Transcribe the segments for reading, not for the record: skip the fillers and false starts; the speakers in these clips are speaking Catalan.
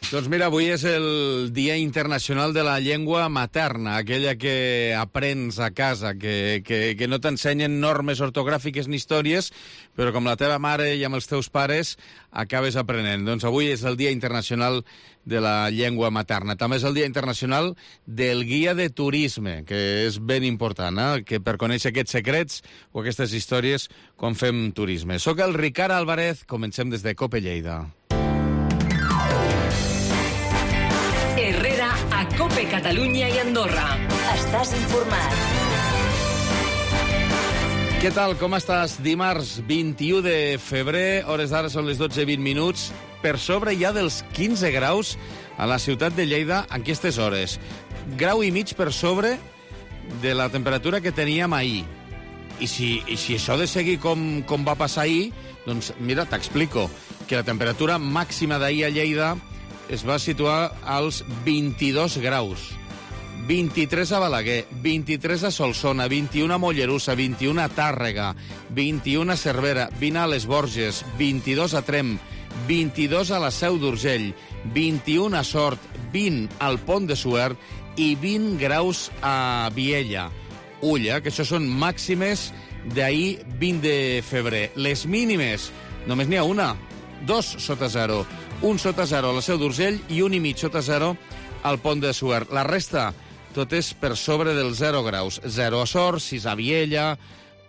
Doncs mira, avui és el Dia Internacional de la Llengua Materna, aquella que aprens a casa, que no t'ensenyen normes ortogràfiques ni històries, però com la teva mare i amb els teus pares acabes aprenent. Doncs avui és el Dia Internacional de la Llengua Materna. També és el Dia Internacional del Guia de Turisme, que és ben important, que per conèixer aquests secrets o aquestes històries quan fem turisme. Soc el Ricard Álvarez, comencem des de Cope Lleida. Herrera a Cope Catalunya i Andorra. Estàs informat. Què tal, com estàs? Dimarts 21 de febrer, hores d'ara són les 12:20, per sobre ja dels 15 graus a la ciutat de Lleida en aquestes hores. Grau i mig per sobre de la temperatura que teníem ahir. I si això de seguir com va passar ahir, doncs mira, t'explico, que la temperatura màxima d'ahir a Lleida es va situar als 22 graus. 23 a Balaguer, 23 a Solsona, 21 a Mollerussa, 21 a Tàrrega, 21 a Cervera, 20 a les Borges, 22 a Tremp, 22 a la Seu d'Urgell, 21 a Sort, 20 al Pont de Suert i 20 graus a Viella. Ulla, que això són màximes d'ahir 20 de febrer. Les mínimes, només n'hi ha una, 2 sota 0. Un sota 0 a la Seu d'Urgell i 1,5 sota 0 al Pont de Suert. La resta, tot és per sobre dels 0 graus. 0 a Sort, 6 a Viella,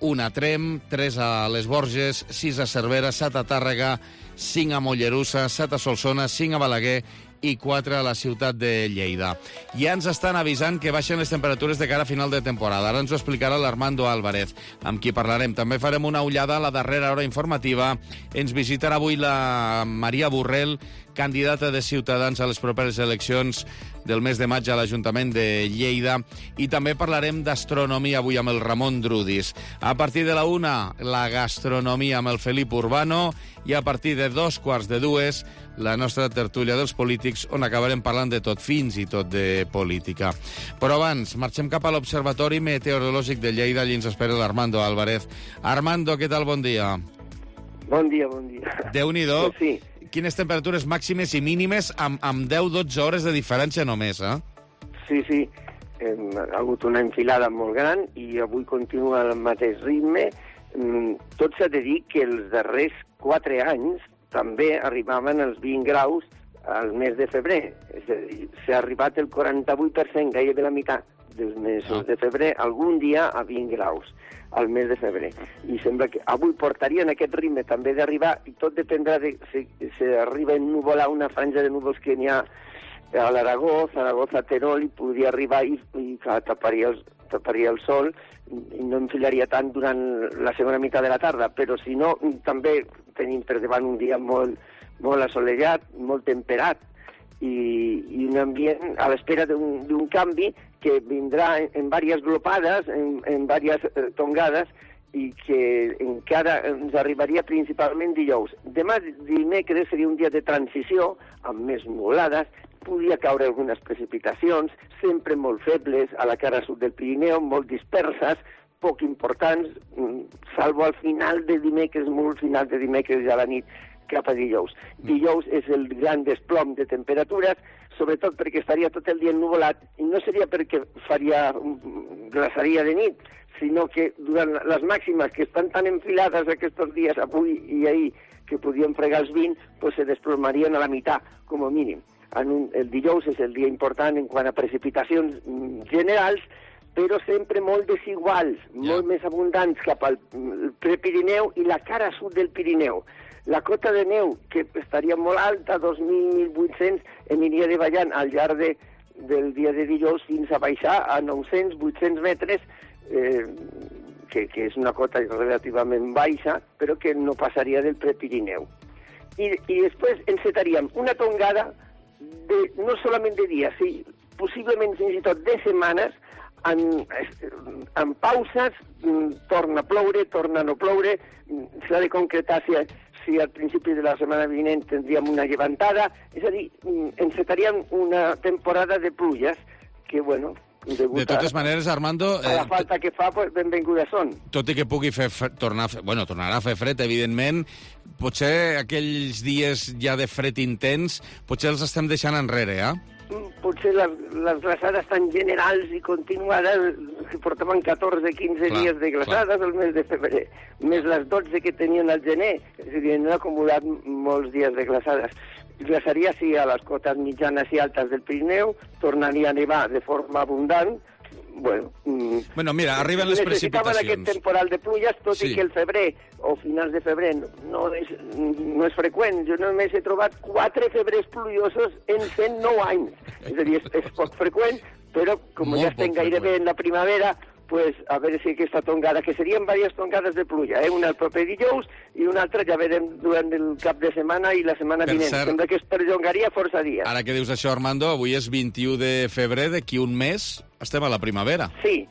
1 a Tremp, 3 a les Borges, 6 a Cervera, 7 a Tàrrega, 5 a Mollerussa, 7 a Solsona, 5 a Balaguer i 4 a la ciutat de Lleida. Ja ens estan avisant que baixen les temperatures de cara a final de temporada. Ara ens ho explicarà l'Armando Álvarez, amb qui parlarem. També farem una ullada a la darrera hora informativa. Ens visitarà avui la Maria Borrell, candidata de Ciutadans a les properes eleccions del mes de maig a l'Ajuntament de Lleida. I també parlarem d'astronomia avui amb el Ramon Drudis. A partir de la 1, la gastronomia amb el Felip Urbano, i a partir de 2:45, la nostra tertúlia dels polítics, on acabarem parlant de tot, fins i tot de política. Però abans, marxem cap a l'Observatori Meteorològic de Lleida, allí ens espera l'Armando Álvarez. Armando, què tal? Bon dia. Bon dia, bon dia. Déu-n'hi-do. Sí. Quines temperatures màximes i mínimes amb 10-12 hores de diferència només, eh? Sí. Ha hagut una enfilada molt gran i avui continua el mateix ritme. Tot s'ha de dir que els darrers 4 anys també arribaven als 20 graus al mes de febrer. És a dir, s'ha arribat el 48%, gairebé la meitat dels mesos de febrer, algun dia a 20 graus al mes de febrer. I sembla que avui portarien aquest ritme també d'arribar, i tot dependrà de si arriba a ennuvolar una franja de núvols que n'hi ha a l'Aragó, Zaragoza, Terol, i podria arribar i taparia el sol i no enfilaria tant durant la segona meitat de la tarda, però si no, també tenim per davant un dia molt assolellat, molt temperat, i un ambient a l'espera d'un canvi que vindrà en diverses glopades, en diverses tongades, i que encara ens arribaria principalment dijous. Demà, dimecres, seria un dia de transició, amb més nuvolades, podria caure algunes precipitacions, sempre molt febles, a la cara sud del Pirineu, molt disperses, poc importants, salvo al final de dimecres, molt final de dimecres ja a la nit, cap a dijous. Dijous és el gran desplom de temperatures, sobretot perquè estaria tot el dia ennuvolat, i no seria perquè glaçaria de nit, sinó que durant les màximes que estan tan enfilades aquests dies, avui i ahir, que podien fregar els 20, doncs se desplomarien a la meitat, com a mínim. El dijous és el dia important en quant a precipitacions generals, però sempre molt desiguals, molt més abundants cap al Prepirineu i la cara sud del Pirineu. La cota de neu, que estaria molt alta, 2.000-1.800, aniria davallant al llarg del dia de dijous fins a baixar a 900-800 metres, que és una cota relativament baixa, però que no passaria del Prepirineu. I després encetaríem una tongada no solament de dies, sí, possiblement fins i tot de setmanes, en pauses, torna a ploure, torna a no ploure, s'ha de concretar si al principi de la setmana vinent tindríem una llevantada, és a dir, encetaríem una temporada de pluges que, bueno, De totes maneres, Armando... A la falta que fa, pues, benvingudes són. Tot i que pugui tornarà a fer fred, evidentment, potser aquells dies ja de fred intens, potser els estem deixant enrere, Potser les glaçades tan generals i continuades, que portaven 14-15 dies de glaçades al mes de febrer, més les 12 que tenien al gener, és a dir, han acumulat molts dies de glaçades. Glaçaria, sí, a les cotes mitjanes i altes del Pirineu, tornaria a nevar de forma abundant. Bueno, mira, arriben les precipitacions. Necessitaven aquest temporal de pluges, tot i que el febrer o finals de febrer no és freqüent. Jo només he trobat 4 febrers pluviosos en 109 anys. És a dir, és poc freqüent, però com ja estem gairebé en la primavera, pues, a veure si aquesta tongada, que serien diverses tongades de pluja, una el proper dijous i una altra ja verem durant el cap de setmana i la setmana vinent. Sembla que es perllongaria força dies. Ara que dius això, Armando, avui és 21 de febrer, d'aquí un mes estem a la primavera. Sí,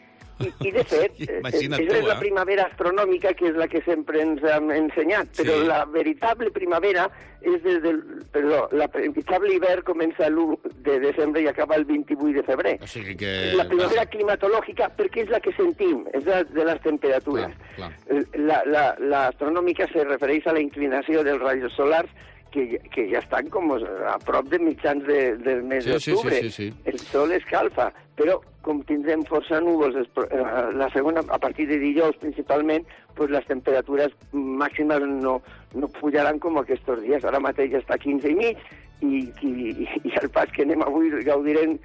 i de fet, és la primavera astronòmica, que és la que sempre ens han ensenyat, però la veritable primavera és la veritable hivern comença l'1 de desembre i acaba el 28 de febrer. O sigui que... La primavera climatològica, perquè és la que sentim, és la de les temperatures. L'astronòmica se refereix a la inclinació dels rajos solars, que ja estan com a prop de mitjans del mes d'octubre. El sol escalfa, però com tindrem força núvols la segona, a partir de dijous principalment, pues les temperatures màximes no pujaran com aquests dies. Ara mateix està a 15,5 i al pas que anem avui gaudirem,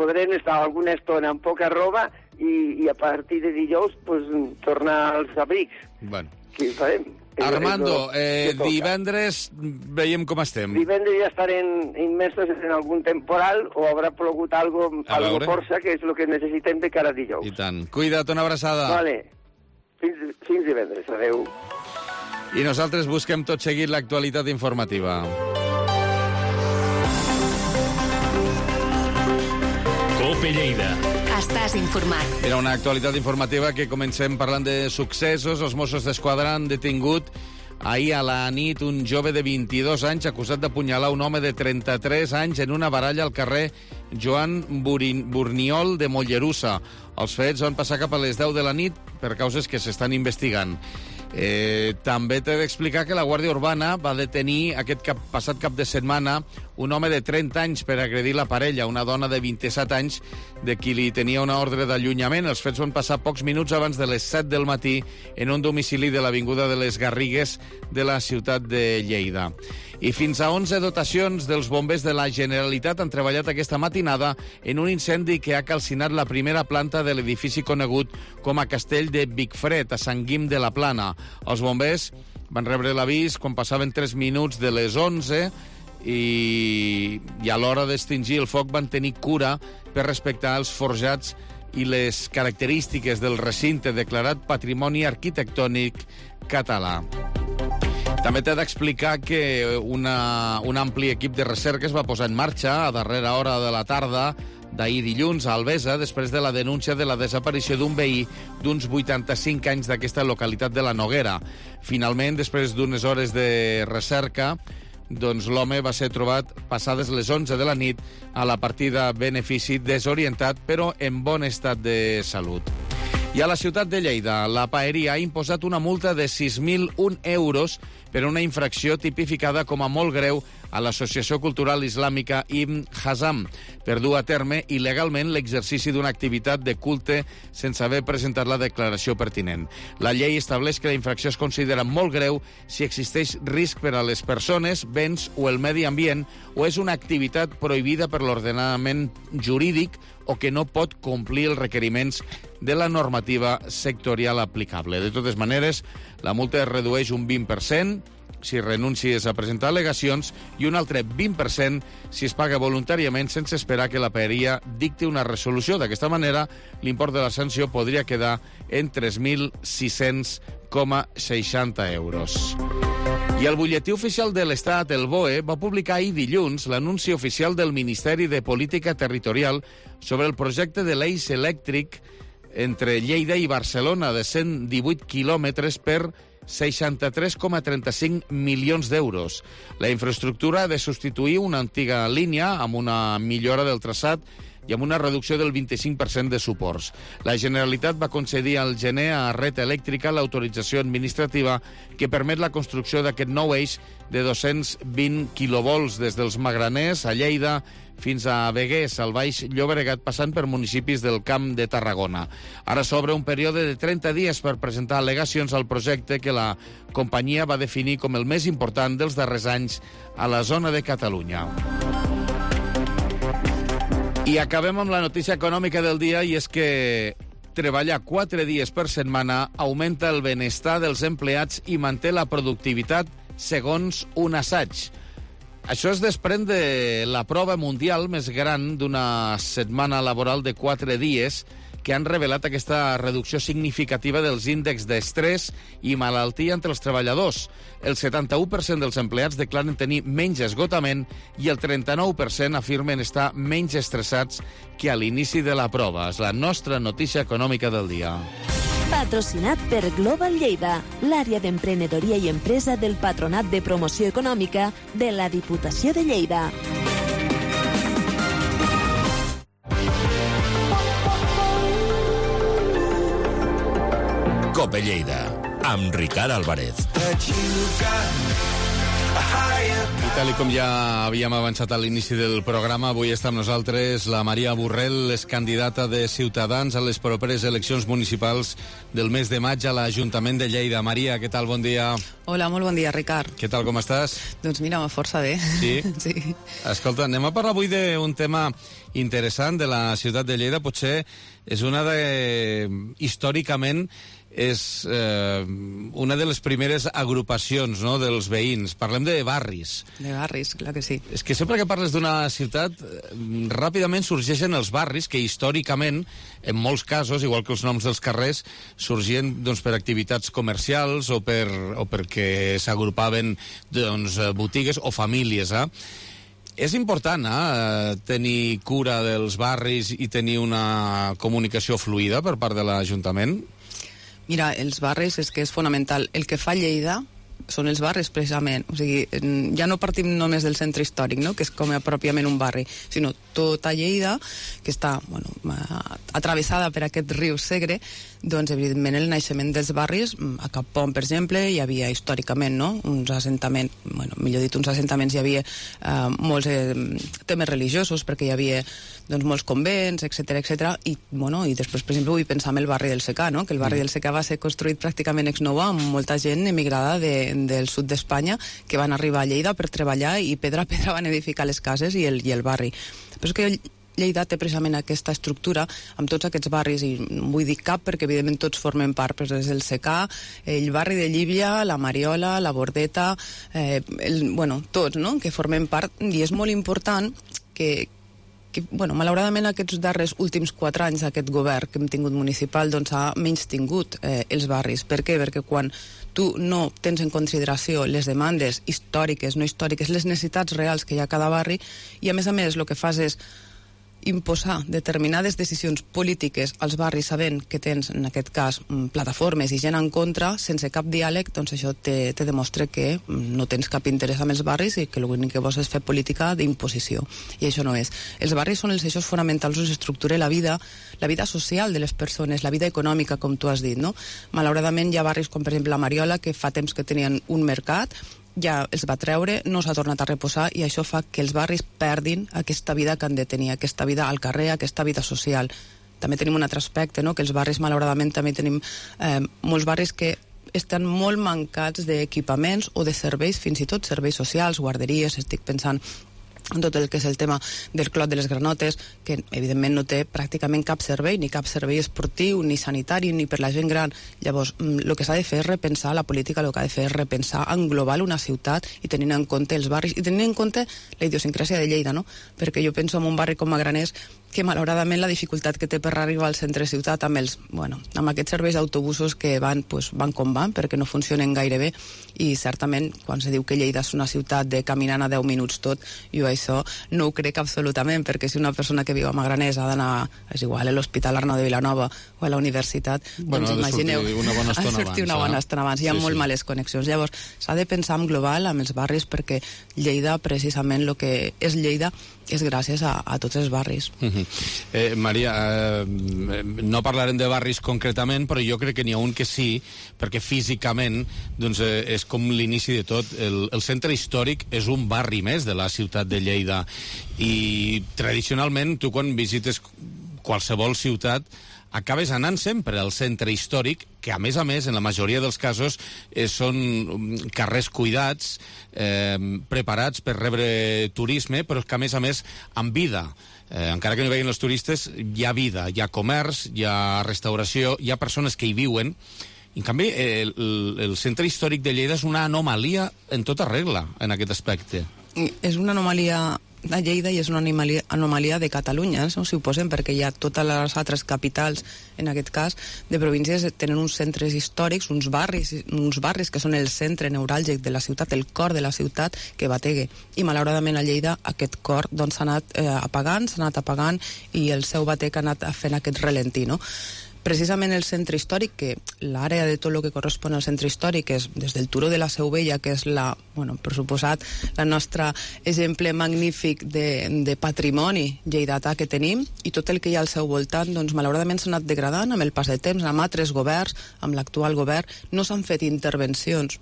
podrem estar alguna estona amb poca roba i a partir de dijous pues, tornar als abrics. Bueno. Què farem? Armando, divendres veiem com estem. Divendres ja estarem immersos en algun temporal o haurà plogut algo força, que és el que necessitem de cara a dijous. I tant. Cuida't, una abraçada. Vale. Fins divendres. Adéu. I nosaltres busquem tot seguit l'actualitat informativa. COPE Lleida. Estàs informat. Era una actualitat informativa que comencem parlant de successos. Els Mossos d'Esquadra han detingut ahir a la nit un jove de 22 anys acusat d'apunyalar un home de 33 anys en una baralla al carrer Joan Burniol de Mollerussa. Els fets van passar cap a les 10 de la nit per causes que s'estan investigant. També t'he d'explicar que la Guàrdia Urbana va detenir passat cap de setmana un home de 30 anys per agredir la parella, una dona de 27 anys de qui li tenia una ordre d'allunyament. Els fets van passar pocs minuts abans de les 7 del matí en un domicili de l'Avinguda de les Garrigues de la ciutat de Lleida. I fins a 11 dotacions dels bombers de la Generalitat han treballat aquesta matinada en un incendi que ha calcinat la primera planta de l'edifici conegut com a Castell de Vicfred, a Sant Guim de la Plana. Els bombers van rebre l'avís quan passaven 3 minuts de les 11 i a l'hora d'extingir el foc van tenir cura per respectar els forjats i les característiques del recinte declarat Patrimoni Arquitectònic Català. També t'he d'explicar que un ampli equip de recerca es va posar en marxa a darrera hora de la tarda d'ahir dilluns a Albesa, després de la denúncia de la desaparició d'un veí d'uns 85 anys d'aquesta localitat de la Noguera. Finalment, després d'unes hores de recerca, doncs l'home va ser trobat passades les 11 de la nit a la partida benefici, desorientat, però en bon estat de salut. I a la ciutat de Lleida, la Paeria ha imposat una multa de 6.001 euros per una infracció tipificada com a molt greu a l'Associació Cultural Islàmica Ibn Hazm per dur a terme il·legalment l'exercici d'una activitat de culte sense haver presentat la declaració pertinent. La llei estableix que la infracció es considera molt greu si existeix risc per a les persones, béns o el medi ambient o és una activitat prohibida per l'ordenament jurídic o que no pot complir els requeriments de la normativa sectorial aplicable. De totes maneres, la multa es redueix un 20% si renuncies a presentar al·legacions i un altre 20% si es paga voluntàriament sense esperar que la Paeria dicti una resolució. D'aquesta manera, l'import de la sanció podria quedar en 3.600,60 euros. I el butlletí oficial de l'Estat, el BOE, va publicar ahir dilluns l'anunci oficial del Ministeri de Política Territorial sobre el projecte de l'eix elèctric entre Lleida i Barcelona de 118 quilòmetres per 63,35 milions d'euros. La infraestructura ha de substituir una antiga línia amb una millora del traçat i amb una reducció del 25% de suports. La Generalitat va concedir al gener a Red Elèctrica l'autorització administrativa que permet la construcció d'aquest nou eix de 220 quilovolts des dels Magraners, a Lleida, fins a Begués, al Baix Llobregat, passant per municipis del Camp de Tarragona. Ara s'obre un període de 30 dies per presentar al·legacions al projecte que la companyia va definir com el més important dels darrers anys a la zona de Catalunya. I acabem amb la notícia econòmica del dia, i és que treballar 4 dies per setmana augmenta el benestar dels empleats i manté la productivitat, segons un assaig. Això es desprèn de la prova mundial més gran d'una setmana laboral de 4 dies que han revelat aquesta reducció significativa dels índexs d'estrès i malaltia entre els treballadors. El 71% dels empleats declaren tenir menys esgotament i el 39% afirmen estar menys estressats que a l'inici de la prova. És la nostra notícia econòmica del dia. Patrocinat per Global Lleida, l'àrea d'emprenedoria i empresa del Patronat de Promoció Econòmica de la Diputació de Lleida. Cope Lleida, amb Ricard Álvarez. I tal com ja havíem avançat a l'inici del programa, avui està amb nosaltres la Maria Borrell, és candidata de Ciutadans a les properes eleccions municipals del mes de maig a l'Ajuntament de Lleida. Maria, què tal? Bon dia. Hola, molt bon dia, Ricard. Què tal, com estàs? Doncs mira, força bé. Sí? Sí. Escolta, anem a parlar avui d'un tema interessant de la ciutat de Lleida. Potser és històricament és una de les primeres agrupacions, no?, dels veïns. Parlem de barris. De barris, clar que sí. És que sempre que parles d'una ciutat, ràpidament sorgeixen els barris, que històricament, en molts casos, igual que els noms dels carrers, sorgien doncs, per activitats comercials o perquè s'agrupaven doncs, botigues o famílies. És important tenir cura dels barris i tenir una comunicació fluida per part de l'Ajuntament? Mira, els barris és que és fonamental. El que fa Lleida són els barris, precisament. O sigui, ja no partim només del centre històric, no?, que és com pròpiament un barri, sinó tota Lleida, que està atravessada per aquest riu Segre. Doncs, evidentment, el naixement dels barris, a Cap Pont, per exemple, hi havia històricament, no?, uns assentaments, hi havia molts temes religiosos, perquè hi havia molts convents, etc. I després, per exemple, vull pensar en el barri del Secà, no?, que el barri del Secà va ser construït pràcticament ex novo amb molta gent emigrada del sud d'Espanya que van arribar a Lleida per treballar i pedra a pedra van edificar les cases i el barri. Però és que Lleida té precisament aquesta estructura amb tots aquests barris, i vull dir cap perquè evidentment tots formen part, però des del Secà, el barri de Llívia, la Mariola, la Bordeta, tots, no?, que formen part, i és molt important que malauradament aquests darrers últims 4 anys aquest govern que hem tingut municipal ha menystingut els barris. Per què? Perquè quan tu no tens en consideració les demandes històriques, no històriques, les necessitats reals que hi ha a cada barri, i a més el que fas és imposar determinades decisions polítiques als barris sabent que tens, en aquest cas, plataformes i gent en contra, sense cap diàleg, doncs això te demostra que no tens cap interès amb els barris i que l'únic que vols és fer política d'imposició. I això no és. Els barris són els eixos fonamentals on s'estructura la vida social de les persones, la vida econòmica, com tu has dit, no? Malauradament hi ha barris com, per exemple, la Mariola, que fa temps que tenien un mercat, ja els va treure, no s'ha tornat a reposar, i això fa que els barris perdin aquesta vida que han de tenir, aquesta vida al carrer, aquesta vida social. També tenim un altre aspecte, no?, que els barris, malauradament, també tenim molts barris que estan molt mancats d'equipaments o de serveis, fins i tot serveis socials, guarderies, estic pensant en tot el que és el tema del Clot de les Granotes, que evidentment no té pràcticament cap servei, ni cap servei esportiu, ni sanitari, ni per la gent gran. Llavors, el que s'ha de fer és repensar la política, el que ha de fer és repensar, englobar una ciutat i tenint en compte els barris, i tenint en compte la idiosincràsia de Lleida, no? Perquè jo penso en un barri com Magraners, que malauradament la dificultat que té per arribar al centre ciutat amb aquests serveis d'autobusos que van com van, perquè no funcionen gaire bé, i certament quan se diu que Lleida és una ciutat de caminant a 10 minuts tot, jo això no ho crec absolutament, perquè si una persona que viu a Magraners ha d'anar, és igual, a l'Hospital Arnau de Vilanova o a la universitat, doncs imagineu, ha de sortir una bona estona abans, hi ha molt males connexions. Llavors, s'ha de pensar en global amb els barris, perquè Lleida, precisament, el que és Lleida, és gràcies a tots els barris. Maria, no parlarem de barris concretament, però jo crec que n'hi ha un que sí, perquè físicament doncs, és com l'inici de tot. El centre històric és un barri més de la ciutat de Lleida, i tradicionalment tu quan visites qualsevol ciutat acabes anant sempre al centre històric, que a més, en la majoria dels casos són carrers cuidats, preparats per rebre turisme, però que a més amb vida. Encara que no hi vegin els turistes, hi ha vida, hi ha comerç, hi ha restauració, hi ha persones que hi viuen. En canvi, el centre històric de Lleida és una anomalia en tota regla, en aquest aspecte. És una anomalia de Lleida i és una anomalia de Catalunya, no? Si ho posem, perquè hi ha totes les altres capitals, en aquest cas, de províncies, tenen uns centres històrics, uns barris que són el centre neuràlgic de la ciutat, el cor de la ciutat, que bategue. I malauradament a Lleida aquest cor doncs, s'ha anat apagant i el seu batec ha anat fent aquest ralentí, no? Precisament el centre històric, que l'àrea de tot el que correspon al centre històric és des del Turó de la Seu Vella, que és per suposat, la nostra exemple magnífic de patrimoni lleidatà que tenim, i tot el que hi ha al seu voltant, doncs malauradament s'ha anat degradant amb el pas de temps, amb altres governs, amb l'actual govern. No s'han fet intervencions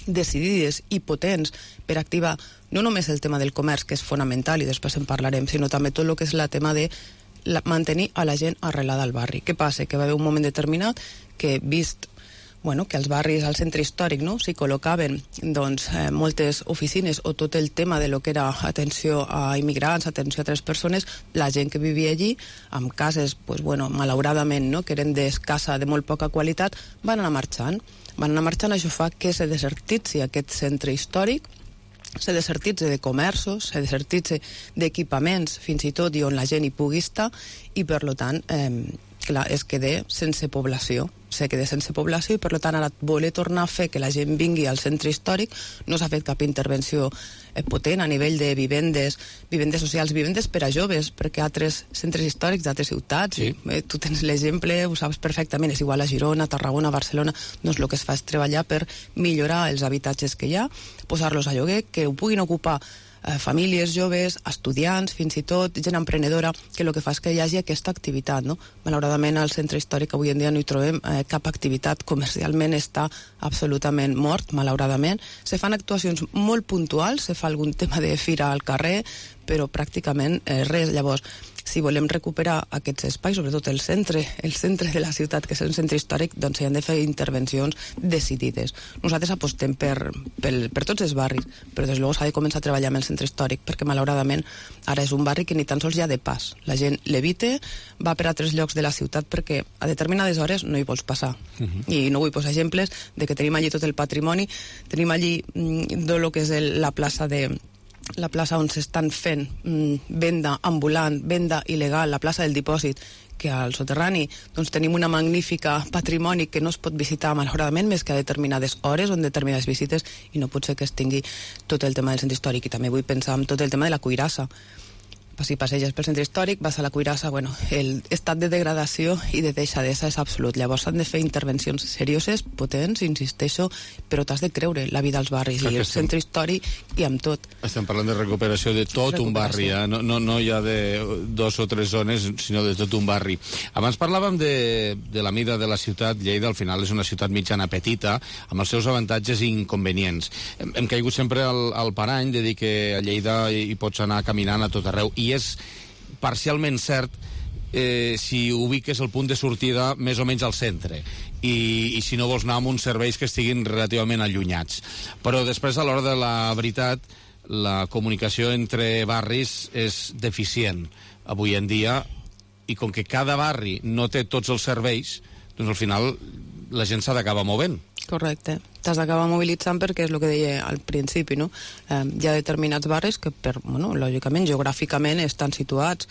decidides i potents per activar no només el tema del comerç, que és fonamental, i després en parlarem, sinó també tot el que és el tema de mantenir a la gent arrelada al barri. Què passa? Que va haver un moment determinat que, vist que als barris, al centre històric, no, s'hi col·locaven moltes oficines o tot el tema de lo que era atenció a immigrants, atenció a altres persones, la gent que vivia allí, amb cases, malauradament, no, que eren d'escassa, de molt poca qualitat, van anar marxant. Això fa que se desertitzi aquest centre històric, se desertitze de comerços, se desertitze d'equipaments, fins i tot, i on la gent hi pugui estar, i per tant, es queda sense població. I per tant ara voler tornar a fer que la gent vingui al centre històric, no s'ha fet cap intervenció potent a nivell de vivendes socials, vivendes per a joves, perquè altres centres històrics d'altres ciutats, sí. Tu tens l'exemple, ho saps perfectament, és igual a Girona, Tarragona, Barcelona, doncs el que es fa és treballar per millorar els habitatges que hi ha, posar-los a lloguer, que ho puguin ocupar famílies joves, estudiants, fins i tot gent emprenedora, que el que fa és que hi hagi aquesta activitat, no? Malauradament al centre històric avui en dia no hi trobem cap activitat, comercialment està absolutament mort, malauradament. Se fan actuacions molt puntuals, se fa algun tema de fira al carrer, però pràcticament res. Llavors, si volem recuperar aquests espais, sobretot el centre de la ciutat, que és el centre històric, doncs s'hi han de fer intervencions decidides. Nosaltres apostem per tots els barris, però des de luego s'ha de començar a treballar amb el centre històric, perquè malauradament ara és un barri que ni tan sols hi ha de pas. La gent l'evita, va per altres llocs de la ciutat perquè a determinades hores no hi vols passar. I no vull posar exemples de que tenim allí tot el patrimoni, tenim allí tot el que és la plaça on s'estan fent venda ambulant, venda il·legal, la plaça del dipòsit, que al soterrani doncs tenim una magnífica patrimoni que no es pot visitar malauradament més que a determinades hores o en determinades visites, i no pot ser que es tingui tot el tema del centre històric. I també vull pensar en tot el tema de la cuirassa. Si passeges pel centre històric, vas a la cuirassa, l'estat de degradació i de deixadesa és absolut. Llavors s'han de fer intervencions serioses, potents, insisteixo, però t'has de creure la vida als barris i el centre històric i amb tot. Estem parlant de recuperació de tot un barri, no ja de 2 o 3 zones, sinó de tot un barri. Abans parlàvem de la mida de la ciutat. Lleida al final és una ciutat mitjana petita, amb els seus avantatges i inconvenients. Hem caigut sempre al parany de dir que a Lleida hi pots anar caminant a tot arreu, i és parcialment cert si ubiques el punt de sortida més o menys al centre i si no vols anar amb uns serveis que estiguin relativament allunyats. Però després, a l'hora de la veritat, la comunicació entre barris és deficient avui en dia, i com que cada barri no té tots els serveis, doncs al final la gent s'ha d'acabar movent. Correcte. T'has d'acabar mobilitzant perquè és el que deia al principi, no? Hi ha determinats barris que, lògicament, geogràficament estan situats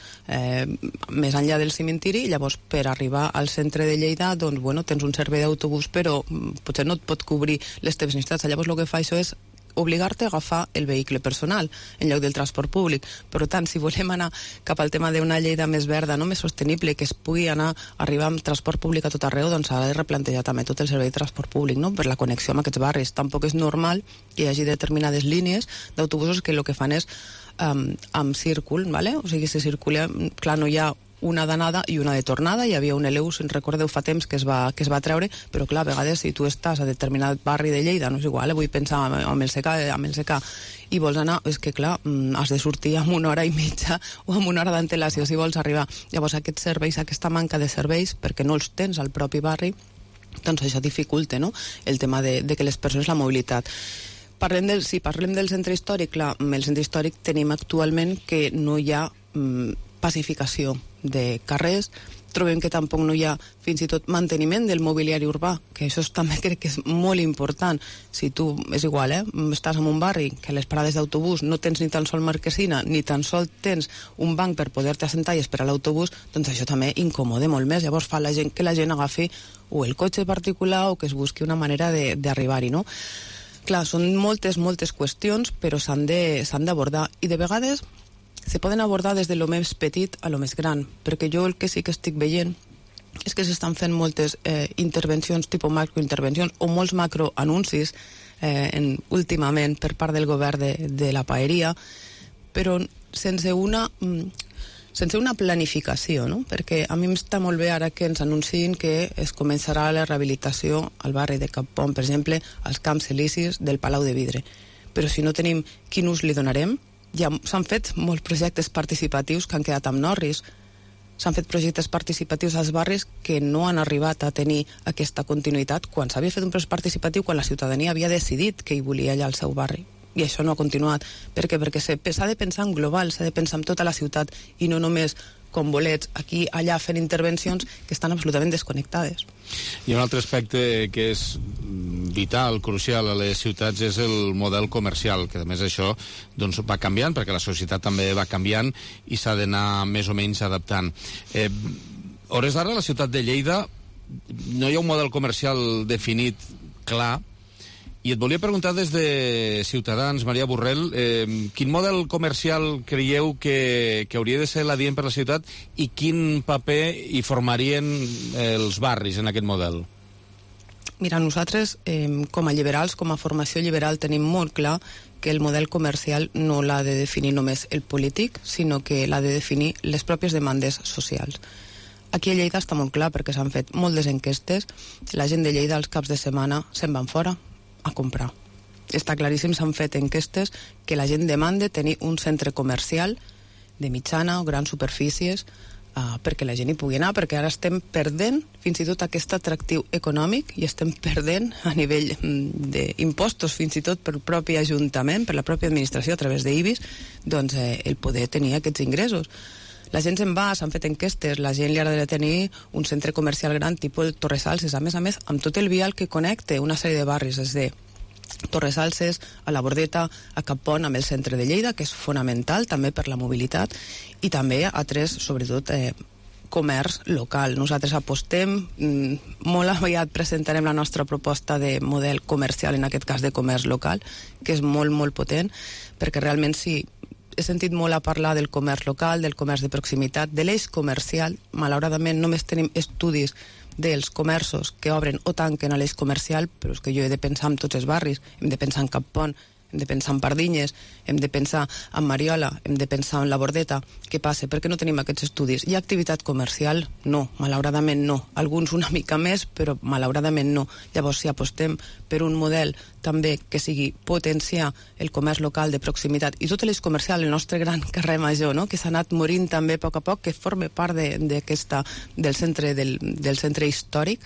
més enllà del cimentiri, i llavors per arribar al centre de Lleida tens un servei d'autobús, però potser no et pot cobrir les teves necessitats. Llavors el que fa això és obligar-te a agafar el vehicle personal en lloc del transport públic. Per tant, si volem anar cap al tema d'una Lleida més verda, no més sostenible, que es pugui arribar amb transport públic a tot arreu, doncs s'ha de replantejar també tot el servei de transport públic, no? Per la connexió amb aquests barris. Tampoc és normal que hi hagi determinades línies d'autobusos que el que fan és amb círcul, ¿vale? O sigui, se circula, clar, no hi ha una d'anada i una de tornada. Hi havia un Eleu, si en recordeu fa temps, que es va treure, però clar, a vegades si tu estàs a determinat barri de Lleida, no és igual, vull pensar amb el CK, i vols anar, és que clar, has de sortir amb 1 hora i mitja o amb 1 hora d'antelació si vols arribar. Llavors aquests serveis, aquesta manca de serveis, perquè no els tens al propi barri, doncs això dificulta, no?, el tema de que les persones, la mobilitat. Si parlem del centre històric, clar, el centre històric tenim actualment que no hi ha pacificació de carrers, trobem que tampoc no hi ha fins i tot manteniment del mobiliari urbà, que això també crec que és molt important. Si tu, és igual, estàs en un barri que a les parades d'autobús no tens ni tan sol marquesina, ni tan sol tens un banc per poder-te assentar i esperar l'autobús, doncs això també incomoda molt més. Llavors fa que la gent agafi o el cotxe particular o que es busqui una manera d'arribar-hi, no? Clar, són moltes qüestions, però s'han d'abordar. I de vegades se poden abordar des de lo més petit a lo més gran, perquè jo el que sí que estic veient és que s'estan fent moltes intervencions, tipus macrointervencions, o molts macroanuncis últimament per part del govern de la paeria, però sense una planificació, no? Perquè a mi m'està molt bé ara que ens anunciïn que es començarà la rehabilitació al barri de Cap Pont, per exemple, als camps elisis del Palau de Vidre. Però si no tenim quin ús li donarem, ja s'han fet molts projectes participatius que han quedat amb Norris. S'han fet projectes participatius als barris que no han arribat a tenir aquesta continuïtat quan s'havia fet un procés participatiu, quan la ciutadania havia decidit que hi volia allà al seu barri. I això no ha continuat. Per què? Perquè s'ha de pensar en global, s'ha de pensar en tota la ciutat i no només com bolets aquí, allà, fent intervencions que estan absolutament desconnectades. I un altre aspecte que és vital, crucial a les ciutats és el model comercial, que a més això doncs, va canviant, perquè la societat també va canviant i s'ha d'anar més o menys adaptant. Hores d'ara, a la ciutat de Lleida no hi ha un model comercial definit clar, i et volia preguntar des de Ciutadans, Maria Borrell, quin model comercial creieu que hauria de ser l'adient per la ciutat i quin paper hi formarien els barris en aquest model? Mira, nosaltres, com a liberals, com a formació liberal, tenim molt clar que el model comercial no l'ha de definir només el polític, sinó que l'ha de definir les pròpies demandes socials. Aquí a Lleida està molt clar perquè s'han fet moltes enquestes, la gent de Lleida als caps de setmana se'n van fora a comprar. Està claríssim, s'han fet enquestes que la gent demanda tenir un centre comercial de mitjana o grans superfícies perquè la gent hi pugui anar, perquè ara estem perdent fins i tot aquest atractiu econòmic i estem perdent a nivell d'impostos, fins i tot pel propi Ajuntament, per la pròpia administració a través d'IBIS, doncs el poder tenir aquests ingressos. La gent se'n va, s'han fet enquestes, la gent li agradaria tenir un centre comercial gran tipus el Torresalses, a més, amb tot el vial que connecta una sèrie de barris, des de Torresalses a la Bordeta, a Cap Pont, amb el centre de Lleida, que és fonamental també per la mobilitat, i també a tres, sobretot, comerç local. Nosaltres apostem, molt aviat presentarem la nostra proposta de model comercial, en aquest cas de comerç local, que és molt, molt potent, perquè realment sí, he sentit molt a parlar del comerç local, del comerç de proximitat, de l'eix comercial. Malauradament només tenim estudis dels comerços que obren o tanquen a l'eix comercial, però és que jo he de pensar en tots els barris, hem de pensar en Cap Pont, hem de pensar en Pardinyes, hem de pensar en Mariola, hem de pensar en la Bordeta. Què passa? Per què no tenim aquests estudis? Hi ha activitat comercial? No, malauradament no. Alguns una mica més, però malauradament no. Llavors, si apostem per un model també que sigui potenciar el comerç local de proximitat i tot l'eix comercial, el nostre gran carrer major, no? Que s'ha anat morint també a poc a poc, que forma part del centre històric,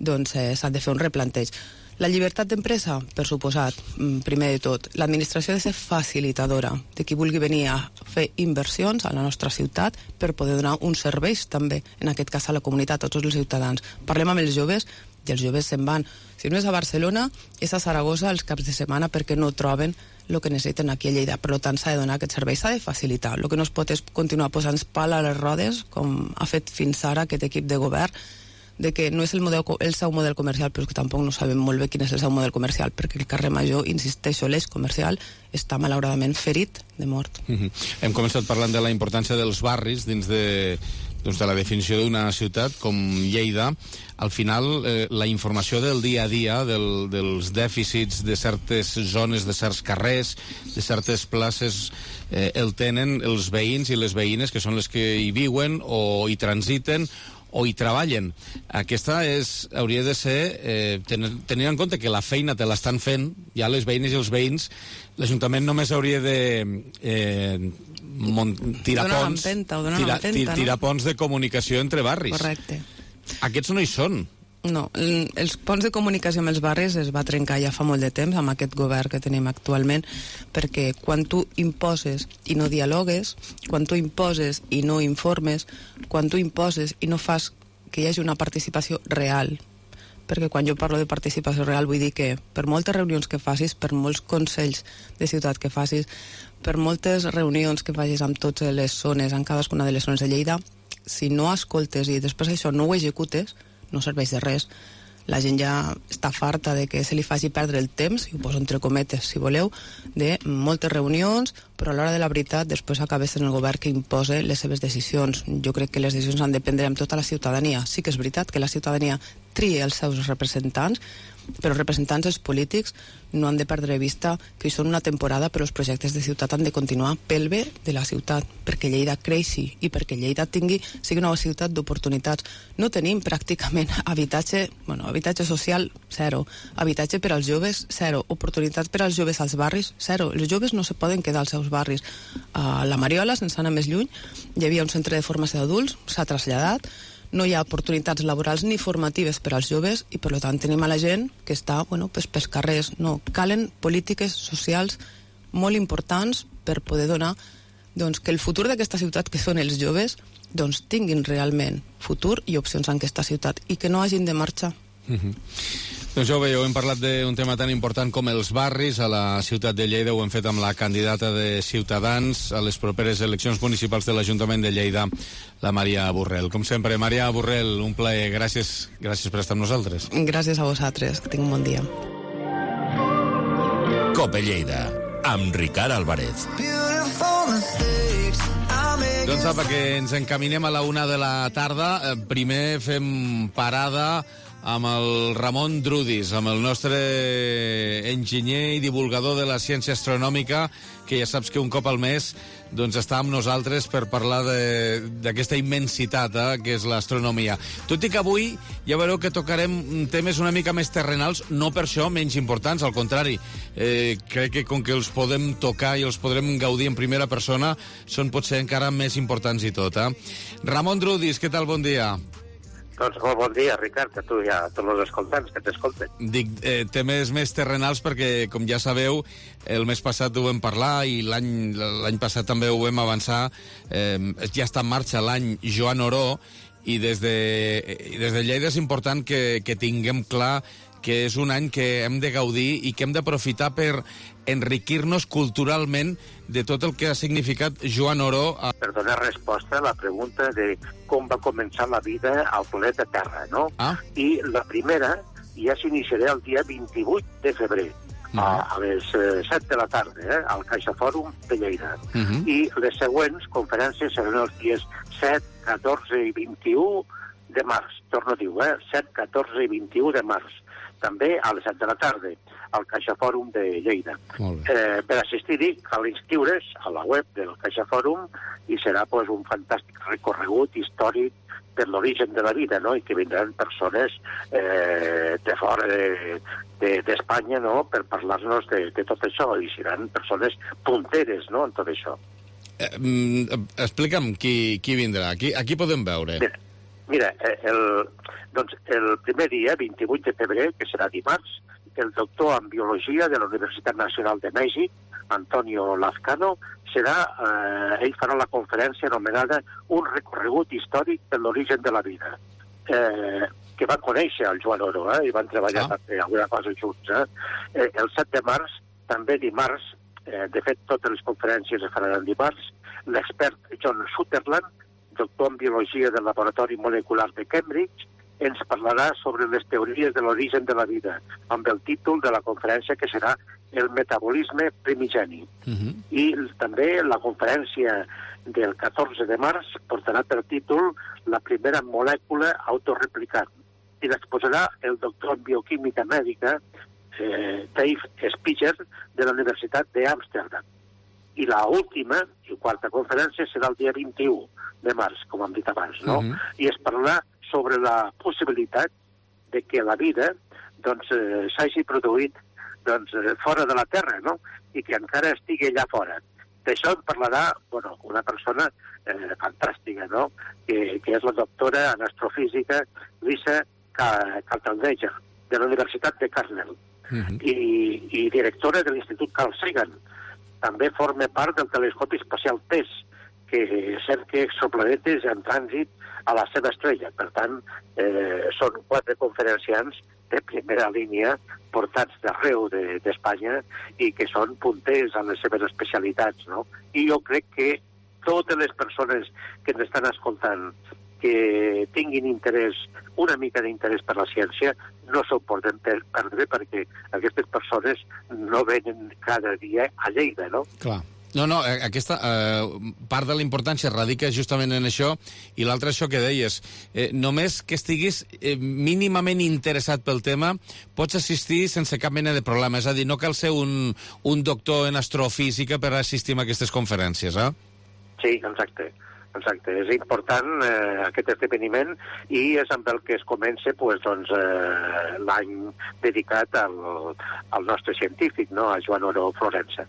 doncs s'ha de fer un replanteig. La llibertat d'empresa, per suposat, primer de tot. L'administració ha de ser facilitadora de qui vulgui venir a fer inversions a la nostra ciutat per poder donar uns serveis també, en aquest cas a la comunitat, a tots els ciutadans. Parlem amb els joves i els joves se'n van. Si no és a Barcelona, és a Saragossa els caps de setmana perquè no troben el que necessiten aquí a Lleida. Per tant, s'ha de donar aquest servei, s'ha de facilitar. El que no es pot és continuar posant pal a les rodes, com ha fet fins ara aquest equip de govern, de que no és el seu model comercial, però és que tampoc no sabem molt bé quin és el seu model comercial, perquè el carrer Major, insisteixo, l'eix comercial està malauradament ferit de mort. Hem començat parlant de la importància dels barris dins de la definició d'una ciutat com Lleida. Al final, la informació del dia a dia, dels dèficits de certes zones, de certs carrers, de certes places, el tenen els veïns i les veïnes, que són les que hi viuen o hi transiten o hi treballen. Aquesta hauria de ser, tenint en compte que la feina te l'estan fent ja les veïnes i els veïns, l'Ajuntament només hauria de tirar ponts de comunicació entre barris. Correcte. Aquests no hi són. No, els ponts de comunicació amb els barris es va trencar ja fa molt de temps amb aquest govern que tenim actualment, perquè quan tu imposes i no dialogues, quan tu imposes i no informes, quan tu imposes i no fas que hi hagi una participació real, perquè quan jo parlo de participació real vull dir que per moltes reunions que facis, per molts consells de ciutat que facis, per moltes reunions que facis amb totes les zones, en cadascuna de les zones de Lleida, si no escoltes i després això no ho executes, no serveix de res. La gent ja està farta de que se li faci perdre el temps, i ho poso entre cometes, si voleu, de moltes reunions, però a l'hora de la veritat després acaba sent el govern que imposa les seves decisions. Jo crec que les decisions han de prendre amb tota la ciutadania. Sí que és veritat que la ciutadania tria els seus representants, però els representants, els polítics, no han de perdre de vista que hi són una temporada, però els projectes de ciutat han de continuar pel bé de la ciutat, perquè Lleida creixi i perquè Lleida sigui una ciutat d'oportunitats. No tenim pràcticament habitatge social, zero. Habitatge per als joves, zero. Oportunitats per als joves als barris, zero. Els joves no se poden quedar als seus barris. A la Mariola, sense anar més lluny, hi havia un centre de formació d'adults, s'ha traslladat, no hi ha oportunitats laborals ni formatives per als joves i per tant tenim a la gent que està pels carrers. No, calen polítiques socials molt importants per poder donar que el futur d'aquesta ciutat, que són els joves, tinguin realment futur i opcions en aquesta ciutat i que no hagin de marxar. Doncs ja ho veieu, hem parlat d'un tema tan important com els barris a la ciutat de Lleida. Ho hem fet amb la candidata de Ciutadans a les properes eleccions municipals de l'Ajuntament de Lleida, la Maria Borrell. Com sempre, Maria Borrell, un plaer. Gràcies per estar amb nosaltres. Gràcies a vosaltres, que tinc un bon dia. Cope Lleida, amb Ricard Álvarez. Doncs apa, que ens encaminem a la 1 de la tarda. Primer fem parada amb el Ramon Drudis, amb el nostre enginyer i divulgador de la ciència astronòmica, que ja saps que un cop al mes està amb nosaltres per parlar d'aquesta immensitat que és l'astronomia. Tot i que avui ja veureu que tocarem temes una mica més terrenals, no per això menys importants, al contrari. Crec que com que els podem tocar i els podrem gaudir en primera persona, són potser encara més importants i tot. Ramon Drudis, què tal? Bon dia. Doncs molt bon dia, Ricard, a tu i a tots els escoltants que t'escolten. Dic temes més terrenals perquè, com ja sabeu, el mes passat ho vam parlar i l'any passat també ho vam avançar. Ja està en marxa l'any Joan Oró i des de Lleida és important que tinguem clar que és un any que hem de gaudir i que hem d'aprofitar per enriquir-nos culturalment de tot el que ha significat Joan Oró. Per donar resposta a la pregunta de com va començar la vida al planeta Terra, no? I la primera ja s'iniciarà el dia 28 de febrer, a les 7 de la tarda, al CaixaFòrum de Lleida. I les següents conferències seran els dies 7, 14 i 21 de març. Torno a dir, 7, 14 i 21 de març. També a les 7 de la tarda, al CaixaFòrum de Lleida. Per assistir-hi cal inscriure's a la web del CaixaFòrum i serà un fantàstic recorregut històric per l'origen de la vida, no? I que vindran persones de fora d'Espanya, no? Per parlar-nos de tot això, i seran persones punteres, no?, en tot això. Explica'm qui vindrà, aquí podem veure. Mira, el primer dia, 28 de febrer, que serà dimarts, el doctor en Biologia de la Universitat Nacional de Mèxic, Antonio Lazcano, ell farà la conferència anomenada Un recorregut històric per l'origen de la vida, que van conèixer el Joan Oró, i van treballar alguna cosa junts. El 7 de març, també dimarts, de fet, totes les conferències es faran dimarts, l'expert John Sutherland, doctor en Biologia del Laboratori Molecular de Cambridge, ens parlarà sobre les teories de l'origen de la vida, amb el títol de la conferència que serà El metabolisme primigeni. I també la conferència del 14 de març portarà per títol La primera molècula autorreplicant. I l'exposarà el doctor en bioquímica mèdica Dave Spicher de la Universitat d'Amsterdam. I la última i quarta conferència serà el dia 21 de març, com hem dit abans, no? I es parlarà sobre la possibilitat de que la vida s'hagi produït fora de la Terra, no? I que encara estigui allà fora. D'això en parlarà una persona fantàstica, no? Que és la doctora en astrofísica Lisa Kaltenegger, de la Universitat de Cornell, i directora de l'Institut Carl Sagan. També forma part del telescopi espacial TESS, que cerca exoplanetes en trànsit a la seva estrella. Per tant, són 4 conferenciants de primera línia portats d'arreu d'Espanya i que són punters en les seves especialitats, no? I jo crec que totes les persones que ens estan escoltant que tinguin interès, una mica d'interès per la ciència, no s'ho poden perdre perquè aquestes persones no venen cada dia a Lleida, no? Clar. No, aquesta part de la importància radica justament en això, i l'altre això que deies. Només que estiguis mínimament interessat pel tema, pots assistir sense cap mena de problema. És a dir, no cal ser un doctor en astrofísica per assistir a aquestes conferències, eh? Sí, exacte. És important aquest esdeveniment i és amb el que es comença l'any dedicat al nostre científic, no? A Joan Oró Florença.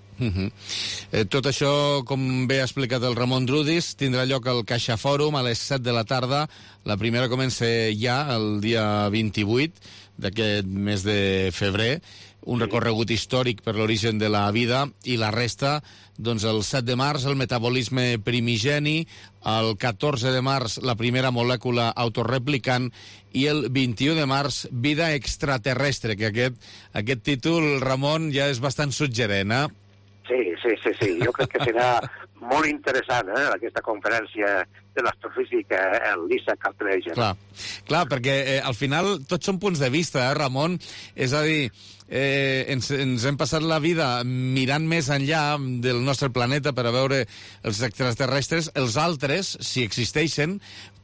Tot això, com bé ha explicat el Ramon Drudis, tindrà lloc al Caixa Fòrum a les 7 de la tarda. La primera comença ja el dia 28 d'aquest mes de febrer, un recorregut històric per l'origen de la vida, i la resta, el 7 de març, el metabolisme primigeni, el 14 de març, la primera molècula autorreplicant, i el 21 de març, vida extraterrestre, que aquest títol, Ramon, ja és bastant suggerent, eh? Sí. Jo crec que serà molt interessant, aquesta conferència de l'astrofísica, Lisa Kaltenegger. Clar, perquè al final tots són punts de vista, Ramon? És a dir, ens hem passat la vida mirant més enllà del nostre planeta per a veure els extraterrestres. Els altres, si existeixen,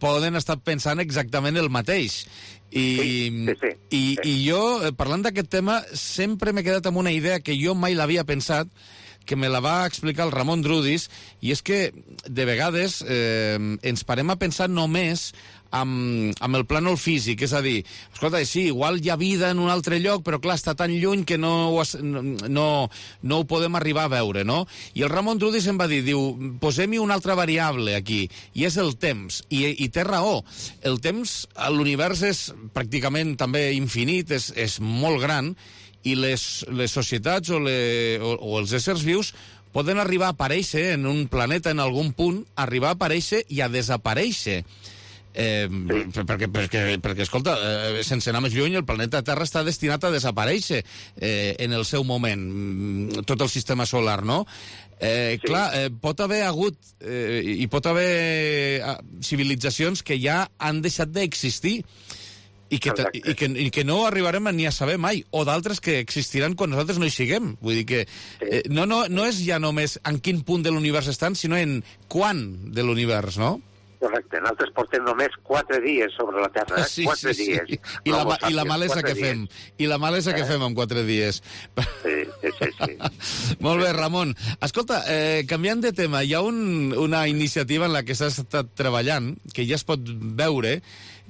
poden estar pensant exactament el mateix. I jo, parlant d'aquest tema, sempre m'he quedat amb una idea que jo mai l'havia pensat, que me la va explicar el Ramon Drudis, i és que de vegades ens parem a pensar només amb el plànol físic, és a dir, escolta, sí, igual hi ha vida en un altre lloc, però clar, està tan lluny que no ho podem arribar a veure, no? I el Ramon Drudis em va dir, posem-hi una altra variable aquí, i és el temps, i té raó. El temps a l'univers és pràcticament també infinit, és molt gran, i les societats o els éssers vius poden arribar a aparèixer en un planeta en algun punt, arribar a aparèixer i a desaparèixer. Perquè, escolta, sense anar més lluny, el planeta Terra està destinat a desaparèixer en el seu moment, tot el sistema solar, no? Clar, pot haver hagut i pot haver civilitzacions que ja han deixat d'existir i que no arribarem ni a saber mai, o d'altres que existiran quan nosaltres no hi siguem. Vull dir que no és ja només en quin punt de l'univers estan, sinó en quan de l'univers, no? Correcte, nosaltres portem només 4 dies sobre la Terra, 4 dies. I la malesa que fem. I la malesa que fem en 4 dies. Sí. Molt bé, Ramon. Escolta, canviant de tema, hi ha una iniciativa en la que s'ha estat treballant, que ja es pot veure,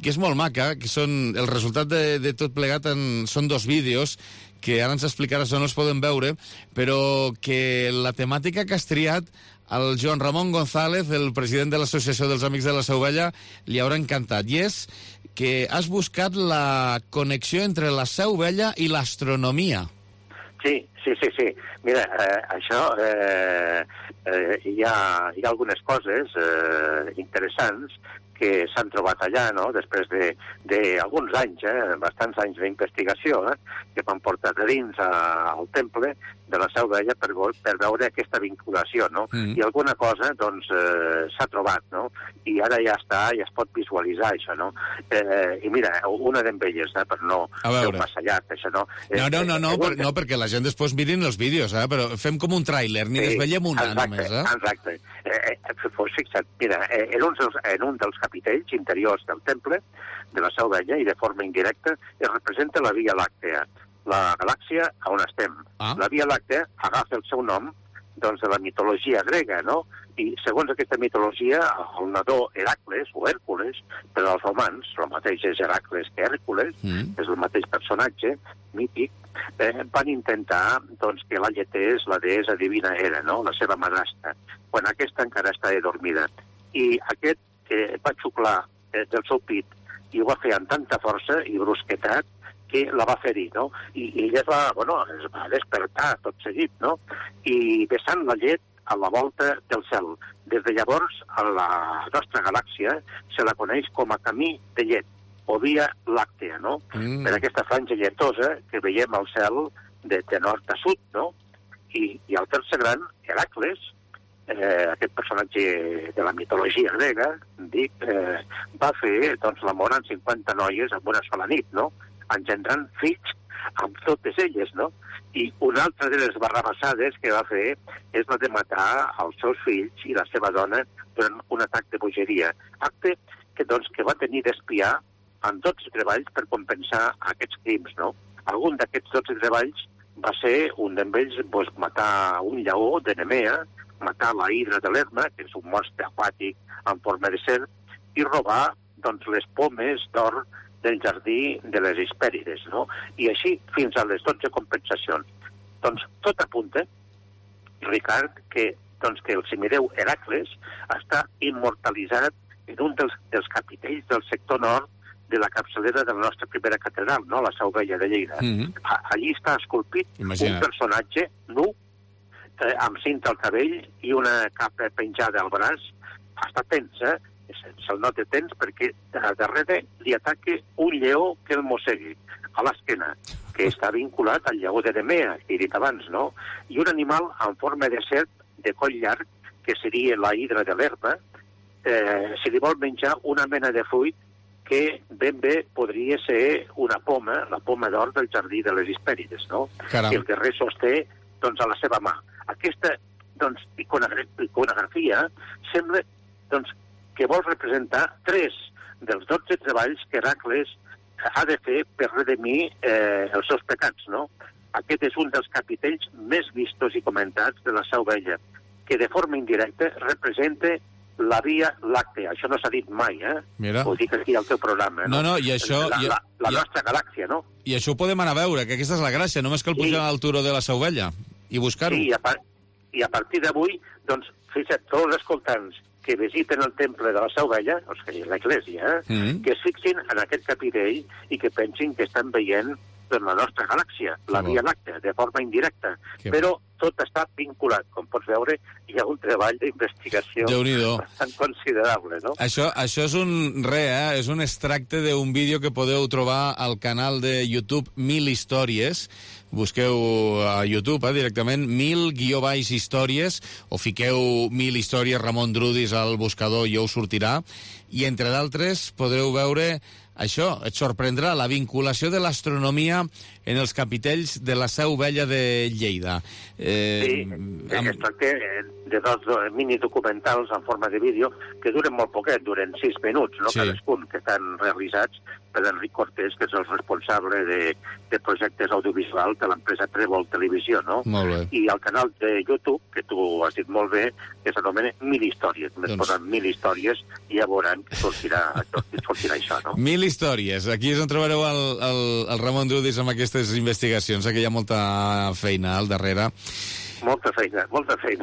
que és molt maca, que són el resultat de tot plegat són 2 vídeos que ara ens explicaràs on els poden veure, però que la temàtica que has triat al Joan Ramon González, el president de l'Associació dels Amics de la Seu Vella, li haurà encantat. I és que has buscat la connexió entre la Seu Vella i l'astronomia. Sí. Mira, això hi ha algunes coses interessants que s'han trobat allà, no?, després d'alguns anys, bastants anys d'investigació, que van portar de dins al temple de la Seu Vella per veure aquesta vinculació, no? I alguna cosa, doncs, s'ha trobat, no? i ara ja està, ja es pot visualitzar això, no? I mira, una d'elles, per no fer un massa llarg, això, no? No, perquè la gent després mirin els vídeos, però fem com un tràiler, ni desvetllem una només, Exacte. Pues fixa't, mira, en un dels capitells interiors del temple de la Seu Vella, i de forma indirecta, es representa la Via Làctea, la galàxia on estem. La Via Làctea agafa el seu nom de la mitologia grega, no? I segons aquesta mitologia, el nadó Heracles, o Hèrcules, per als romans, el mateix és Heracles que Hèrcules, és el mateix personatge mític, van intentar que la lletés la deessa divina Hera, no? La seva madrastra, quan aquesta encara estava dormida. I aquest va xuclar del seu pit i ho va fer amb tanta força i brusquetat que la va ferir, no? I ella es va despertar tot seguit, no? I vessant la llet a la volta del cel. Des de llavors, a la nostra galàxia se la coneix com a camí de llet, o Via Làctea, no? Per aquesta franja lletosa que veiem al cel de nord a sud, no? I el tercer gran, Heracles, aquest personatge de la mitologia grega, va fer l'amor amb 50 noies en una sola nit, no? Engendrant fills amb totes elles, no? I una altra de les barrabassades que va fer és la de matar els seus fills i la seva dona durant un atac de bogeria. Acte que va tenir d'espiar amb 12 treballs per compensar aquests crims, no? Algun d'aquests 12 treballs va ser, un d'ells, matar un lleó de Nemea, matar la hidra de l'Herma, que és un monstre aquàtic en forma de serp, i robar les pomes d'or del jardí de les Hespèrides, no? I així fins a les 12 compensacions. Tot apunta, Ricard, que el semideu Heracles està immortalitzat en un dels capitells del sector nord de la capçalera de la nostra primera catedral, no? La Seu Vella de Lleida. Allí està esculpit un personatge nu, amb cinta al cabell i una capa penjada al braç. Està tens, se'l nota tens perquè darrere li ataca un lleó que el mossegui a l'esquena, que està vinculat al lleó de Nemea, que he dit abans, no? I un animal en forma de serp de coll llarg, que seria la hidra de l'herba, se li vol menjar una mena de fruit que ben bé podria ser una poma, la poma d'or del jardí de les Hespèrides, no? Que el guerrer sosté a la seva mà. Aquesta iconografia sembla que vol representar 3 dels 12 treballs que Heracles ha de fer per redimir els seus pecats, no? Aquest és un dels capitells més vistos i comentats de la Seu Vella, que de forma indirecta representa la Via Làctea. Això no s'ha dit mai, Mira. Ho dic aquí al teu programa, no? No, i això... La nostra galàxia, no? I això ho podem anar a veure, que aquesta és la gràcia, només cal pujar al turó de la Seu Vella i buscar-ho. Sí, i a partir d'avui, fixa't, tots els escoltants que visiten el temple de la Seu Vella, l'església, que es fixin en aquest capitell i que pensin que estan veient la nostra galàxia, la Via Làctea, de forma indirecta. Però tot està vinculat. Com pots veure, hi ha un treball d'investigació bastant considerable, no? Això és és un extracte d'un vídeo que podeu trobar al canal de YouTube 1000 històries. Busqueu a YouTube directament 1000 històries o fiqueu 1000 històries Ramon Drudis al buscador i us sortirà. I entre d'altres podreu veure això, et sorprendrà la vinculació de l'astronomia en els capitells de la Seu Vella de Lleida. Sí, es tracta de 2 minidocumentals en forma de vídeo que duren molt poquet, duren 6 minuts, no? Cadascun, que estan realitzats per Enric Cortés, que és el responsable de projectes audiovisuals de l'empresa Trèvol Televisió, no? Molt bé. I al canal de YouTube, que tu has dit molt bé, que s'anomena 1000 històries. Més posen 1000 històries i ja veuran que sortirà això, no? 1000 històries. Aquí és on trobareu el Ramon Drudis amb aquestes investigacions, que hi ha molta feina al darrere. Molta feina.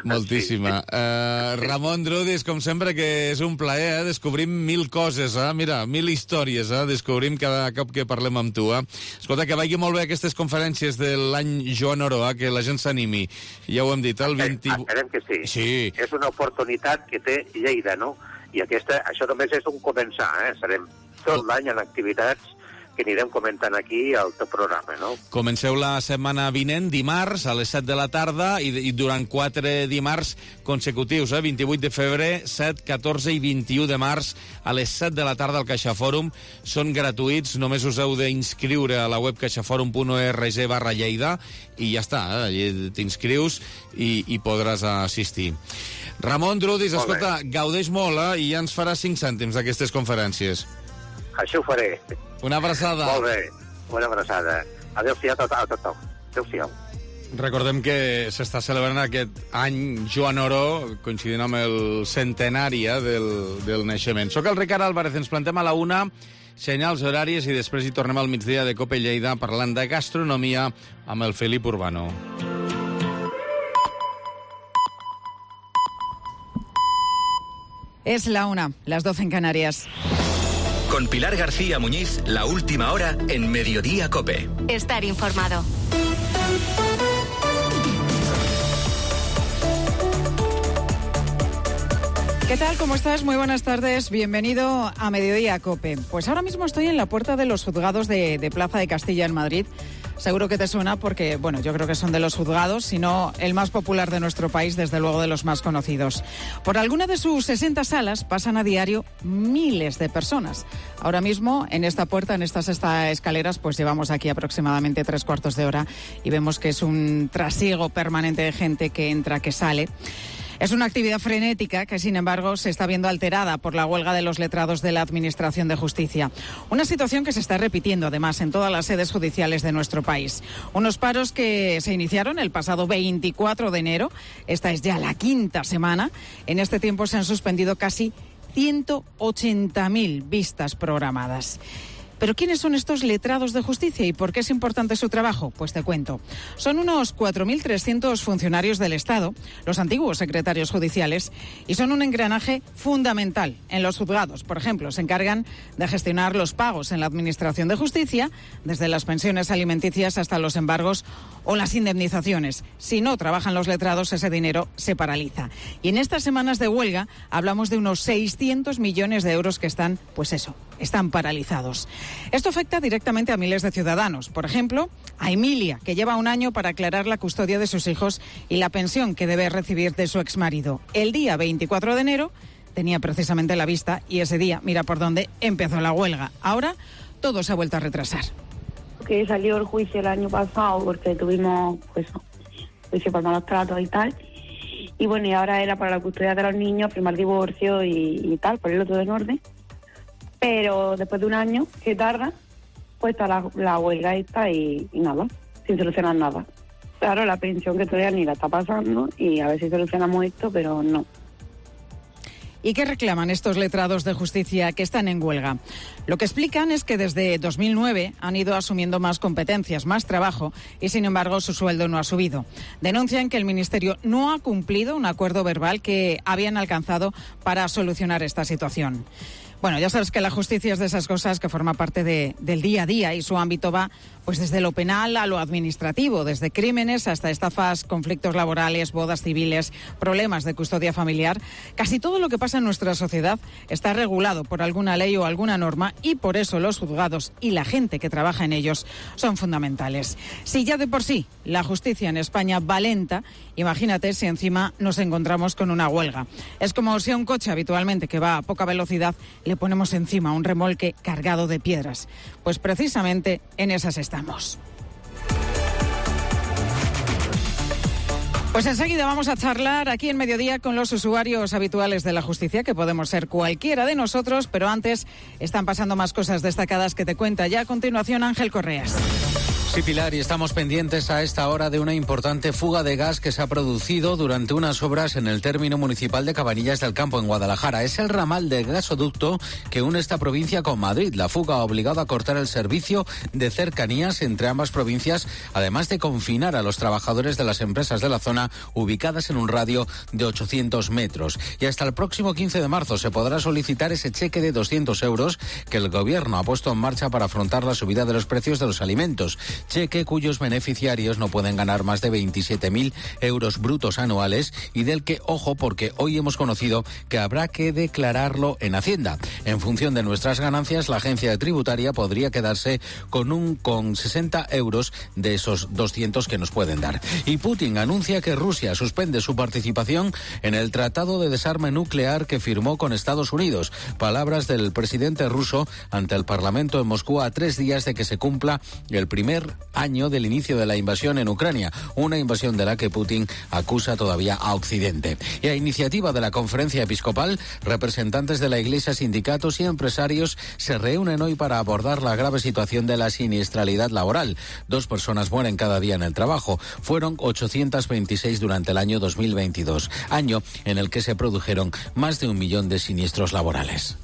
Moltíssima. Sí. Ramon Drudis, com sempre, que és un plaer, descobrim 1000 coses, Mira, 1000 històries, descobrim cada cop que parlem amb tu, Escolta, que vagi molt bé aquestes conferències de l'any Joan Oró, que la gent s'animi. Ja ho hem dit, el 20... Esperem que sí. Sí. És una oportunitat que té Lleida, no? I això només és un començar, Serem tot l'any en activitats que anirem comentant aquí al teu programa, no? Comenceu la setmana vinent, dimarts, a les 7 de la tarda, i durant 4 dimarts consecutius, 28 de febrer, 7, 14 i 21 de març, a les 7 de la tarda al CaixaForum. Són gratuïts, només us heu d'inscriure a la web caixaforum.org/Lleida, i ja està, allí t'inscrius i podràs assistir. Ramon Drudis, escolta, gaudeix molt, i ja ens faràs 5 cèntims d'aquestes conferències. Això ho faré. Una abraçada. Molt bé, una abraçada. Adéu-siau a tothom. Adéu-siau. Recordem que s'està celebrant aquest any Joan Oró, coincidint amb el centenari del naixement. Soc el Ricard Álvarez, ens plantem a la 1, senyals horàries, i després hi tornem al migdia de Cope Lleida parlant de gastronomia amb el Felip Urbano. Es la 1, las 12 en Canarias. Con Pilar García Muñiz, la última hora en Mediodía Cope. Estar informado. ¿Qué tal? ¿Cómo estás? Muy buenas tardes. Bienvenido a Mediodía Cope. Pues ahora mismo estoy en la puerta de los juzgados de Plaza de Castilla en Madrid. Seguro que te suena porque, bueno, yo creo que son de los juzgados, si no el más popular de nuestro país, desde luego de los más conocidos. Por alguna de sus 60 salas pasan a diario miles de personas. Ahora mismo, en esta puerta, en estas escaleras, pues llevamos aquí aproximadamente 3/4 de hora y vemos que es un trasiego permanente de gente que entra, que sale. Es una actividad frenética que, sin embargo, se está viendo alterada por la huelga de los letrados de la Administración de Justicia. Una situación que se está repitiendo, además, en todas las sedes judiciales de nuestro país. Unos paros que se iniciaron el pasado 24 de enero. Esta es ya la 5ª semana. En este tiempo se han suspendido casi 180.000 vistas programadas. ¿Pero quiénes son estos letrados de justicia y por qué es importante su trabajo? Pues te cuento. Son unos 4.300 funcionarios del Estado, los antiguos secretarios judiciales, y son un engranaje fundamental en los juzgados. Por ejemplo, se encargan de gestionar los pagos en la Administración de Justicia, desde las pensiones alimenticias hasta los embargos o las indemnizaciones. Si no trabajan los letrados, ese dinero se paraliza. Y en estas semanas de huelga hablamos de unos 600 millones de euros que están, pues eso, están paralizados. Esto afecta directamente a miles de ciudadanos. Por ejemplo, a Emilia, que lleva un año para aclarar la custodia de sus hijos y la pensión que debe recibir de su exmarido. El día 24 de enero tenía precisamente la vista y ese día, mira por dónde, empezó la huelga. Ahora todo se ha vuelto a retrasar. Que salió el juicio el año pasado porque tuvimos juicio por malos tratos y tal. Y bueno, y ahora era para la custodia de los niños, firmar divorcio y tal, ponerlo todo en orden. Pero después de un año que tarda, pues está la huelga esta y nada, sin solucionar nada. Claro, la pensión que todavía ni la está pasando y a ver si solucionamos esto, pero no. ¿Y qué reclaman estos letrados de justicia que están en huelga? Lo que explican es que desde 2009 han ido asumiendo más competencias, más trabajo y, sin embargo, su sueldo no ha subido. Denuncian que el Ministerio no ha cumplido un acuerdo verbal que habían alcanzado para solucionar esta situación. Bueno, ya sabes que la justicia es de esas cosas que forma parte del día a día y su ámbito va pues desde lo penal a lo administrativo, desde crímenes hasta estafas, conflictos laborales, bodas civiles, problemas de custodia familiar. Casi todo lo que pasa en nuestra sociedad está regulado por alguna ley o alguna norma y por eso los juzgados y la gente que trabaja en ellos son fundamentales. Si ya de por sí la justicia en España va lenta, imagínate si encima nos encontramos con una huelga. Es como si a un coche habitualmente que va a poca velocidad le ponemos encima un remolque cargado de piedras. Pues precisamente en esas estamos. Pues enseguida vamos a charlar aquí en Mediodía con los usuarios habituales de la justicia, que podemos ser cualquiera de nosotros, pero antes están pasando más cosas destacadas que te cuenta ya a continuación Ángel Correas. Sí, Pilar, y estamos pendientes a esta hora de una importante fuga de gas que se ha producido durante unas obras en el término municipal de Cabanillas del Campo, en Guadalajara. Es el ramal de gasoducto que une esta provincia con Madrid. La fuga ha obligado a cortar el servicio de cercanías entre ambas provincias, además de confinar a los trabajadores de las empresas de la zona ubicadas en un radio de 800 metros. Y hasta el próximo 15 de marzo se podrá solicitar ese cheque de 200 euros que el Gobierno ha puesto en marcha para afrontar la subida de los precios de los alimentos. cheque cuyos beneficiarios no pueden ganar más de 27.000 euros brutos anuales y del que, ojo, porque hoy hemos conocido que habrá que declararlo en Hacienda. En función de nuestras ganancias, la agencia tributaria podría quedarse con 60 euros de esos 200 que nos pueden dar. Y Putin anuncia que Rusia suspende su participación en el Tratado de Desarme Nuclear que firmó con Estados Unidos. Palabras del presidente ruso ante el Parlamento en Moscú a 3 días de que se cumpla el primer año del inicio de la invasión en Ucrania, una invasión de la que Putin acusa todavía a Occidente. Y a iniciativa de la Conferencia Episcopal, representantes de la Iglesia, sindicatos y empresarios se reúnen hoy para abordar la grave situación de la siniestralidad laboral. 2 personas mueren cada día en el trabajo. Fueron 826 durante el año 2022, año en el que se produjeron más de 1 millón de siniestros laborales.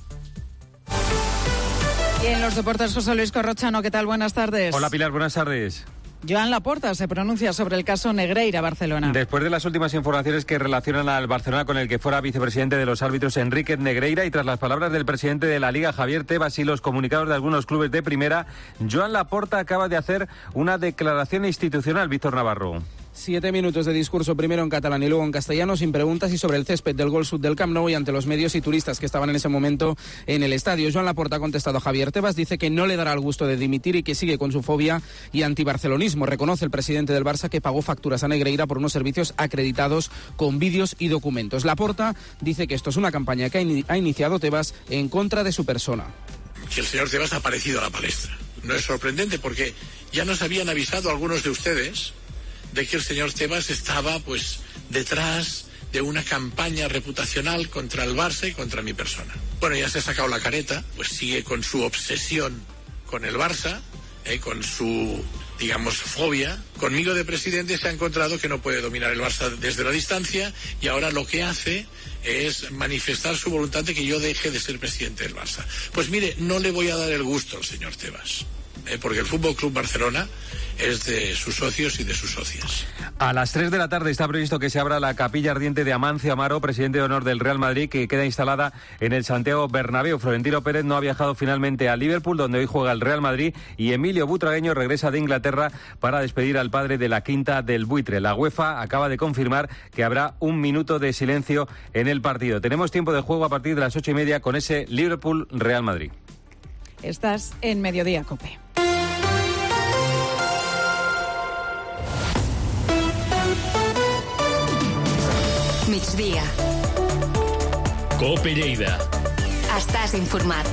Y en los deportes, José Luis Corrochano, ¿qué tal? Buenas tardes. Hola Pilar, buenas tardes. Joan Laporta se pronuncia sobre el caso Negreira Barcelona. Después de las últimas informaciones que relacionan al Barcelona con el que fuera vicepresidente de los árbitros Enrique Negreira y tras las palabras del presidente de la Liga Javier Tebas y los comunicados de algunos clubes de primera, Joan Laporta acaba de hacer una declaración institucional. Víctor Navarro. 7 minutos de discurso, primero en catalán y luego en castellano, sin preguntas, y sobre el césped del Gol Sud del Camp Nou y ante los medios y turistas que estaban en ese momento en el estadio. Joan Laporta ha contestado a Javier Tebas, dice que no le dará el gusto de dimitir y que sigue con su fobia y antibarcelonismo. Reconoce el presidente del Barça que pagó facturas a Negreira por unos servicios acreditados con vídeos y documentos. Laporta dice que esto es una campaña que ha iniciado Tebas en contra de su persona. Que el señor Tebas ha aparecido a la palestra. No es sorprendente porque ya nos habían avisado algunos de ustedes de que el señor Tebas estaba detrás de una campaña reputacional contra el Barça y contra mi persona. Bueno, ya se ha sacado la careta, sigue con su obsesión con el Barça, con su, fobia. Conmigo de presidente se ha encontrado que no puede dominar el Barça desde la distancia y ahora lo que hace es manifestar su voluntad de que yo deje de ser presidente del Barça. Pues mire, no le voy a dar el gusto al señor Tebas, porque el Fútbol Club Barcelona es de sus socios y de sus socias. A las 3 de la tarde está previsto que se abra la capilla ardiente de Amancio Amaro, presidente de honor del Real Madrid, que queda instalada en el Santiago Bernabéu. Florentino Pérez no ha viajado finalmente a Liverpool, donde hoy juega el Real Madrid, y Emilio Butragueño regresa de Inglaterra para despedir al padre de la Quinta del Buitre. La UEFA acaba de confirmar que habrá 1 minuto de silencio en el partido. Tenemos tiempo de juego a partir de las 8:30 con ese Liverpool-Real Madrid. Estás en Mediodía COPE. Migdia. COPE Lleida. Estàs informat.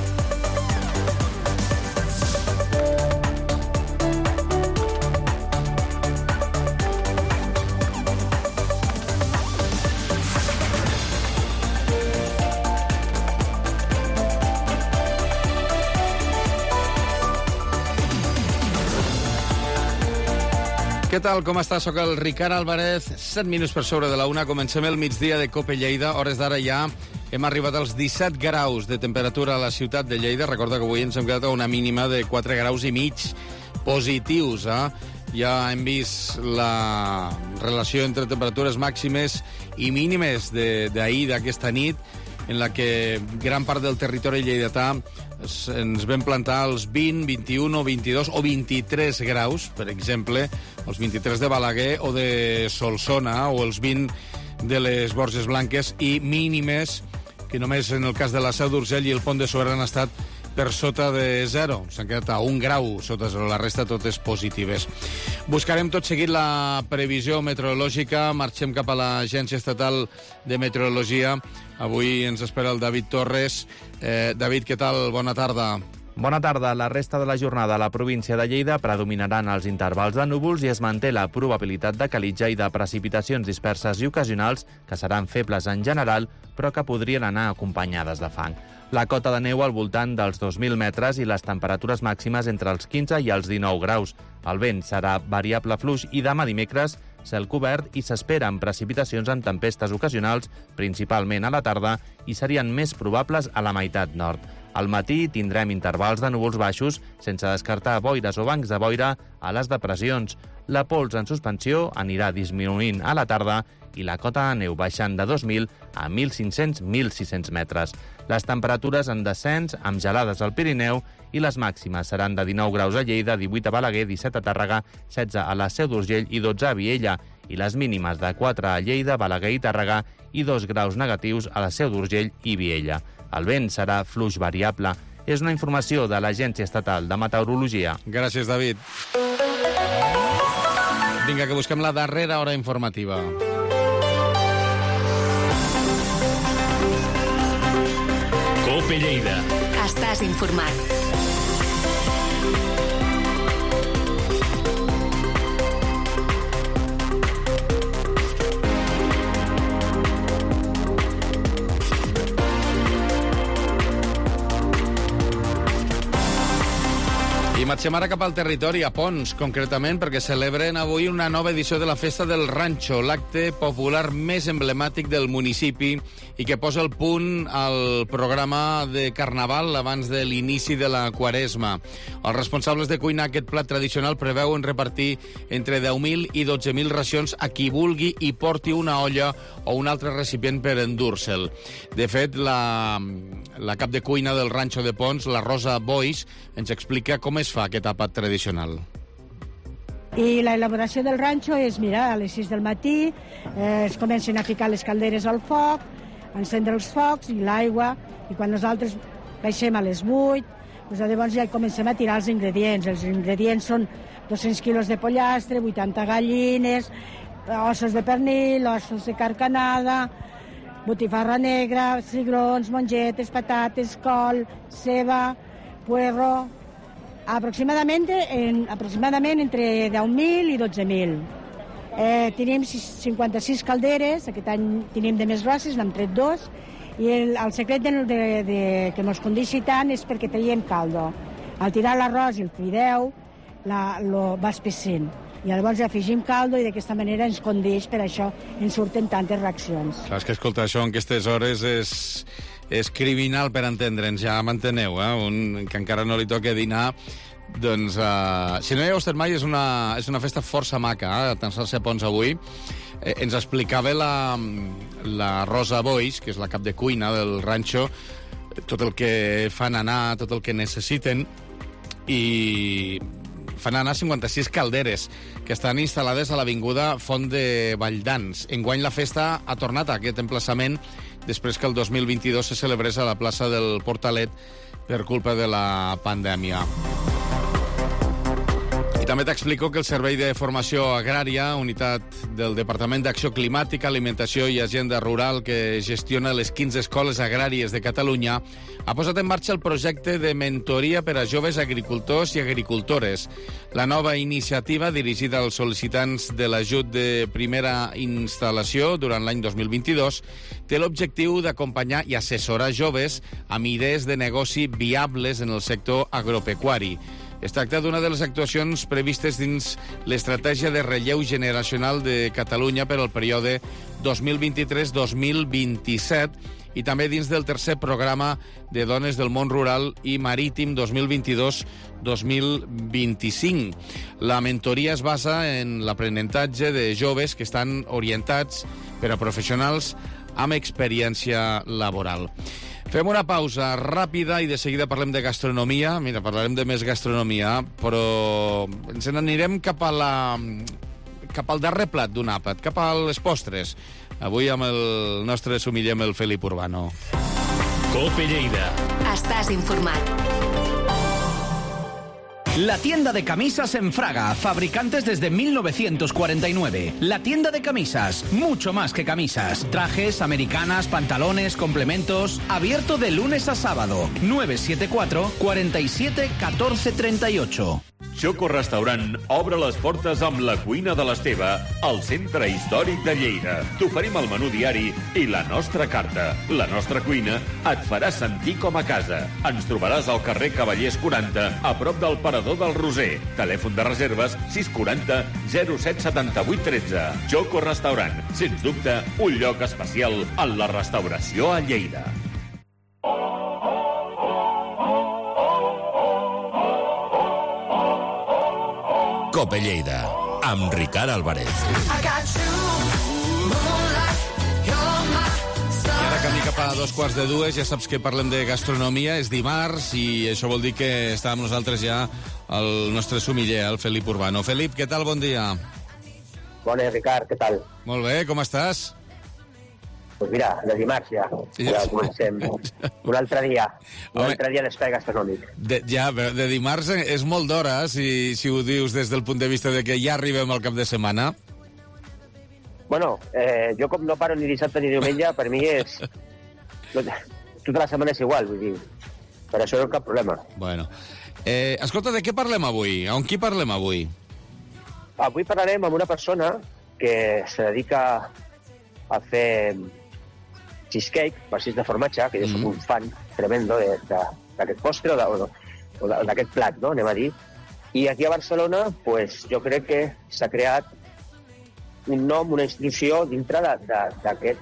Què tal, com està? Soc el Ricard Álvarez, 7 minuts per sobre de la 1. Comencem el migdia de COPE Lleida. Hores d'ara ja hem arribat als 17 graus de temperatura a la ciutat de Lleida. Recorda que avui ens hem quedat a una mínima de 4 graus i mig positius. Ja hem vist la relació entre temperatures màximes i mínimes d'ahir, d'aquesta nit, en la que gran part del territori lleidatà ens vam plantar als 20, 21, 22 o 23 graus, per exemple, els 23 de Balaguer o de Solsona, o els 20 de les Borges Blanques, i mínimes que només en el cas de la Seu d'Urgell i el Pont de Suert han estat per sota de 0. S'han quedat a 1 grau sota 0, la resta totes positives. Buscarem tot seguit la previsió meteorològica. Marxem cap a l'Agència Estatal de Meteorologia. Avui ens espera el David Torres. David, què tal? Bona tarda. Bona tarda. La resta de la jornada a la província de Lleida predominaran els intervals de núvols i es manté la probabilitat de calitja i de precipitacions disperses i ocasionals que seran febles en general, però que podrien anar acompanyades de fang. La cota de neu al voltant dels 2.000 metres i les temperatures màximes entre els 15 i els 19 graus. El vent serà variable fluix i demà dimecres cel cobert i s'esperen precipitacions en tempestes ocasionals, principalment a la tarda, i serien més probables a la meitat nord. Al matí tindrem intervals de núvols baixos, sense descartar boires o bancs de boira a les depressions. La pols en suspensió anirà disminuint a la tarda i la cota de neu baixant de 2.000 a 1.500-1.600 metres. Les temperatures en descens, amb gelades al Pirineu, i les màximes seran de 19 graus a Lleida, 18 a Balaguer, 17 a Tàrrega, 16 a la Seu d'Urgell i 12 a Viella, i les mínimes de 4 a Lleida, Balaguer i Tàrrega i 2 graus negatius a la Seu d'Urgell i Viella. El vent serà fluix variable. És una informació de l'Agència Estatal de Meteorologia. Gràcies, David. Vinga, que busquem la darrera hora informativa. COPE Lleida. Estàs informat. I marxem ara cap al territori, a Pons, concretament, perquè celebren avui una nova edició de la Festa del Ranxo, l'acte popular més emblemàtic del municipi i que posa el punt al programa de Carnaval abans de l'inici de la Quaresma. Els responsables de cuinar aquest plat tradicional preveuen repartir entre 10.000 i 12.000 racions a qui vulgui i porti una olla o un altre recipient per endur-se'l. De fet, la cap de cuina del Ranxo de Pons, la Rosa Boix, ens explica com es fa aquest àpat tradicional. I la elaboració del ranxo és, mira, a les 6 del matí es comencen a ficar les calderes al foc, encendre els focs i l'aigua, i quan nosaltres baixem a les 8, doncs llavors ja comencem a tirar els ingredients. Els ingredients són 200 quilos de pollastre, 80 gallines, ossos de pernil, ossos de carcanada, botifarra negra, cigrons, mongetes, patates, col, ceba, puerro, aproximadament entre 10.000 i 12.000. Tenim 56 calderes, aquest any tenim de més grosses, n'hem tret 2, i el secret que ens condixi tant és perquè traiem caldo. Al tirar l'arròs i el fideu, va espessint. I llavors afegim caldo i d'aquesta manera ens condeix, per això ens surten tantes reaccions. Clar, és que escolta, això en aquestes hores és criminal per entendre'ns, ja m'enteneu, un que encara no li toca dinar. Doncs, si no hi heu estat mai, és una festa força maca, Atansar-se a Pons avui. Ens explicava la Rosa Boix, que és la cap de cuina del ranxo, tot el que fan anar, tot el que necessiten, i fan anar 56 calderes que estan instal·lades a l'avinguda Font de Valldans. Enguany la festa ha tornat a aquest emplaçament després que el 2022 se celebrés a la plaça del Portalet per culpa de la pandèmia. I també t'explico que el Servei de Formació Agrària, unitat del Departament d'Acció Climàtica, Alimentació i Agenda Rural, que gestiona les 15 escoles agràries de Catalunya, ha posat en marxa el projecte de mentoria per a joves agricultors i agricultores. La nova iniciativa, dirigida als sol·licitants de l'ajut de primera instal·lació durant l'any 2022, té l'objectiu d'acompanyar i assessorar joves amb idees de negoci viables en el sector agropecuari. Es tracta d'una de les actuacions previstes dins l'estratègia de relleu generacional de Catalunya per al període 2023-2027 i també dins del tercer programa de dones del món rural i marítim 2022-2025. La mentoria es basa en l'aprenentatge de joves que estan orientats per a professionals amb experiència laboral. Fem una pausa ràpida i de seguida parlem de gastronomia. Mira, parlarem de més gastronomia, però ens n'anirem cap al darrer plat d'un àpat, cap a les postres. Avui amb el nostre sumiller, amb el Felip Urbano. COPE Lleida. Estàs informat. La tienda de camisas en Fraga, fabricantes desde 1949. La tienda de camisas, mucho más que camisas. Trajes, americanas, pantalones, complementos. Abierto de lunes a sábado. 974 47 14 38. Choco Restaurant obre les portes amb la cuina de l'Esteve al centre històric de Lleida. T'oferim el menú diari i la nostra carta. La nostra cuina et farà sentir com a casa. Ens trobaràs al carrer Cavallers 40, a prop del Parador del Roser. Telèfon de reserves 640 07 78 13. Choco Restaurant, sens dubte, un lloc especial en la restauració a Lleida. COPE Lleida, amb Ricard Álvarez. camí cap a 2:45, ja saps que parlem de gastronomia, és dimarts i això vol dir que està amb nosaltres ja el nostre sumiller, el Felip Urbano. Felip, què tal? Bon dia. Bona, Ricard, què tal? Molt bé, com estàs? Pues mira, de dimarts ja comencem. Un altre dia d'espai gastronòmic. De dimarts és molt d'hora, si ho dius des del punt de vista de que ja arribem al cap de setmana. Bueno, jo com no paro ni dissabte ni diumenge, per mi és... Tota la setmana és igual, vull dir. Per això no hi ha cap problema. Bueno. Escolta, de què parlem avui? On qui parlem avui? Avui parlarem amb una persona que se dedica a fer cheesecake, pastís de formatge, que jo soc un fan tremendo d'aquest postre o d'aquest plat, no? Anem a dir. I aquí a Barcelona, pues, jo crec que s'ha creat un nom, una institució dintre d'aquest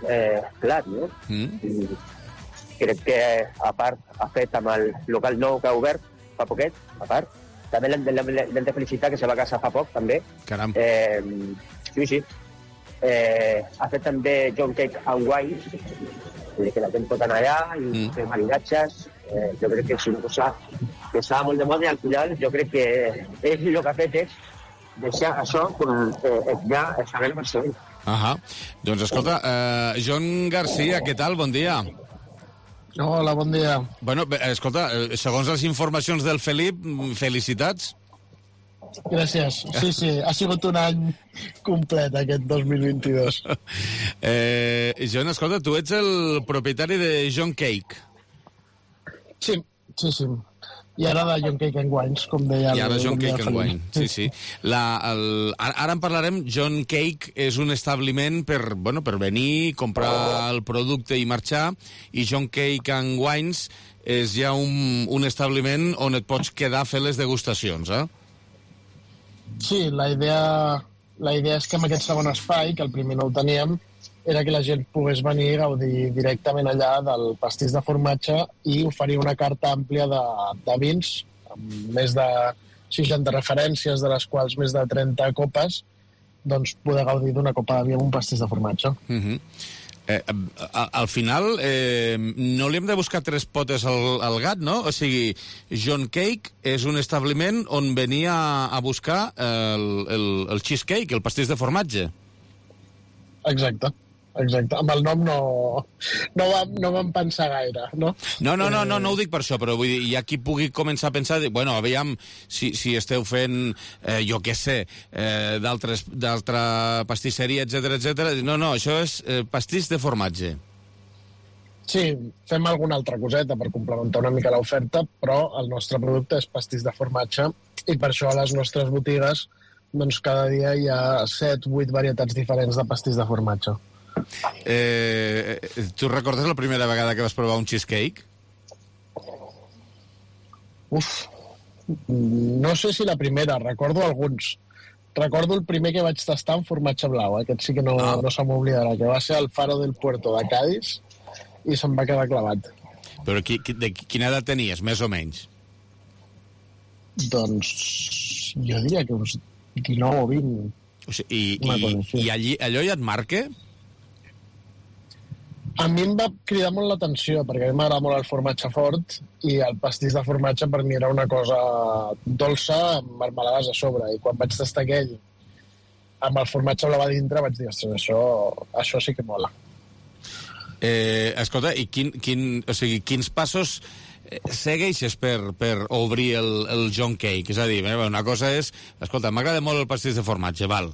plat, no? I crec que, a part, ha fet amb el local nou que ha obert fa poquet, a part. També l'hem de felicitar, que se va casar fa poc, també. Caram. Sí. Ha fet també John Cake and Wine, que la gent pot anar allà i fer maridatges. Jo crec que és una cosa que estava molt de moda i al final jo crec que ell el que ha fet és deixar això ja saber el Barcelona. Doncs escolta, John Garcia, què tal? Bon dia. Hola, bon dia. Bueno, escolta, segons les informacions del Felip, felicitats. Gràcies. Sí, ha sigut un any complet aquest 2022. John, escolta, tu ets el propietari de John Cake. Sí. I ara de John Cake and Wines, com deia. I ara John Cake and Wine, sí. Ara en parlarem. John Cake és un establiment per venir, comprar el producte i marxar, i John Cake and Wines és ja un establiment on et pots quedar a fer les degustacions, Sí, la idea és que amb aquest segon espai, que el primer no ho teníem, era que la gent pogués venir a gaudir directament allà del pastís de formatge i oferir una carta àmplia de vins, amb més de 60 referències, de les quals més de 30 copes, doncs poder gaudir d'una copa de vi amb un pastís de formatge. Al final, no li hem de buscar tres potes al gat, no? O sigui, John Cake és un establiment on venia a buscar el cheesecake, el pastís de formatge. Exacte. Amb el nom no vam pensar gaire, no? No ho dic per això, però vull dir, hi ha qui pugui començar a pensar, bueno, aviam si esteu fent, jo què sé, d'altra pastisseria, etc. No, això és pastís de formatge. Sí, fem alguna altra coseta per complementar una mica l'oferta, però el nostre producte és pastís de formatge i per això a les nostres botigues doncs cada dia hi ha 7-8 varietats diferents de pastís de formatge. Tu recordes la primera vegada que vas provar un cheesecake? No sé si la primera, recordo alguns. Recordo el primer que vaig tastar en formatge blau, aquest sí que no se m'oblidarà, que va ser al Faro del Puerto de Cádiz i se'm va quedar clavat. Però de quina edat tenies, més o menys? Doncs jo diria que uns 19 o 20. O sigui, i allò ja et marca? A mi em va cridar molt l'atenció, perquè a mi m'agrada molt el formatge fort i el pastís de formatge per mi era una cosa dolça amb marmelades a sobre. I quan vaig tastar aquell amb el formatge blau a dintre vaig dir, ostres, això sí que mola. Escolta, i quins passos segueixes per obrir el John Cake? És a dir, una cosa és... Escolta, m'agrada molt el pastís de formatge, val.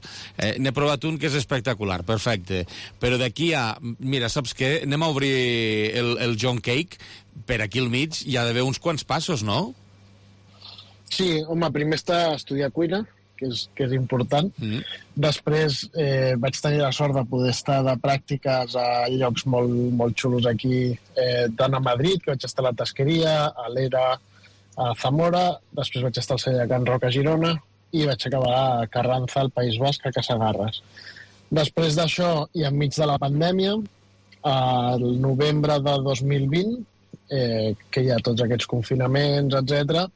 N'he provat un que és espectacular, perfecte. Però d'aquí a... Mira, saps què? Anem a obrir el John Cake. Per aquí al mig hi ha d'haver uns quants passos, no? Sí, home, primer està a estudiar cuina, que és important. Després vaig tenir la sort de poder estar de pràctiques a llocs molt, molt xulos aquí, tant a Madrid, que vaig estar a la Tasqueria, a l'Era, a Zamora, després vaig estar al celler de Can Roca a Girona i vaig acabar a Carranza, al País Basc, a Casagarres. Després d'això, i enmig de la pandèmia, al novembre de 2020, que hi ha tots aquests confinaments, etc.,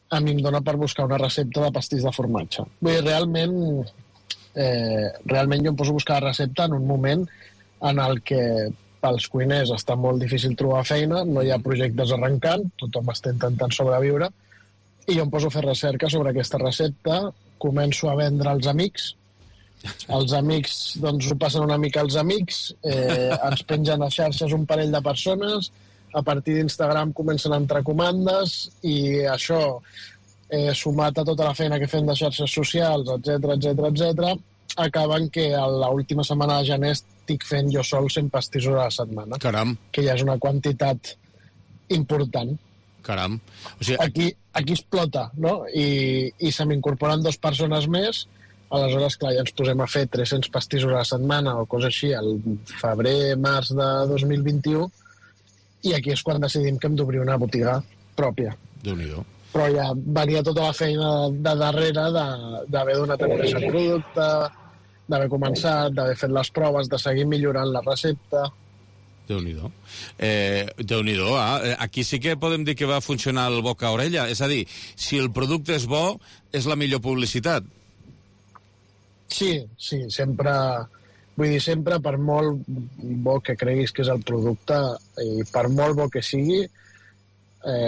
a mi em dona per buscar una recepta de pastís de formatge. Vull dir, realment jo em poso a buscar la recepta en un moment en el que pels cuiners està molt difícil trobar feina, no hi ha projectes arrencant, tothom està intentant sobreviure, i jo em poso a fer recerca sobre aquesta recepta, començo a vendre als amics, els amics doncs ho passen una mica als amics, ens pengen a xarxes un parell de persones, a partir d'Instagram comencen a entrar comandes, i això, sumat a tota la feina que fem de xarxes socials, etc, acaben que a l'última setmana de gener estic fent jo sol 100 pastissos a la setmana. Caram. Que ja és una quantitat important. Caram. O sigui... Aquí explota, no? I se m'incorporen 2 persones més, aleshores, clar, ja ens posem a fer 300 pastissos a la setmana o cosa així, al febrer, març de 2021, i aquí és quan decidim que hem d'obrir una botiga pròpia. Déu-n'hi-do. Però ja venia tota la feina de darrere d'haver donat a conèixer el producte, d'haver començat, d'haver fet les proves, de seguir millorant la recepta. Déu-n'hi-do. Déu-n'hi-do, aquí sí que podem dir que va funcionar el boca a orella. És a dir, si el producte és bo, és la millor publicitat. Sí, sempre... Vull dir, sempre, per molt bo que creguis que és el producte, i per molt bo que sigui,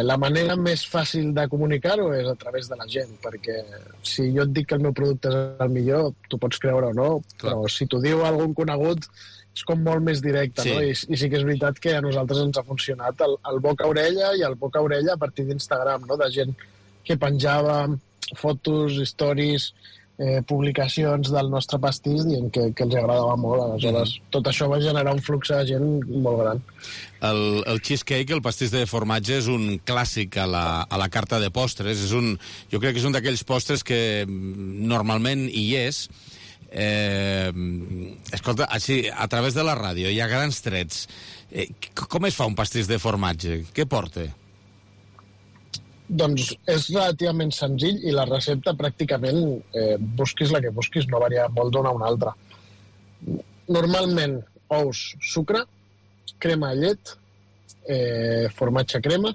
la manera més fàcil de comunicar-ho és a través de la gent, perquè si jo et dic que el meu producte és el millor, tu pots creure o no, però si t'ho diu algun conegut és com molt més directe, sí. No? I sí que és veritat que a nosaltres ens ha funcionat el boca a orella i el boca a orella a partir d'Instagram, no? De gent que penjava fotos, stories, publicacions del nostre pastís dient que els agradava molt. Aleshores, tot això va generar un flux de gent molt gran. El cheesecake, el pastís de formatge, és un clàssic a la carta de postres. Jo crec que és un d'aquells postres que normalment hi és. Escolta, així, a través de la ràdio, hi ha grans trets. Com es fa un pastís de formatge? Què porta? Doncs és relativament senzill i la recepta pràcticament, busquis la que busquis, no varia molt d'una a una altra. Normalment, ous, sucre, crema de llet, formatge crema,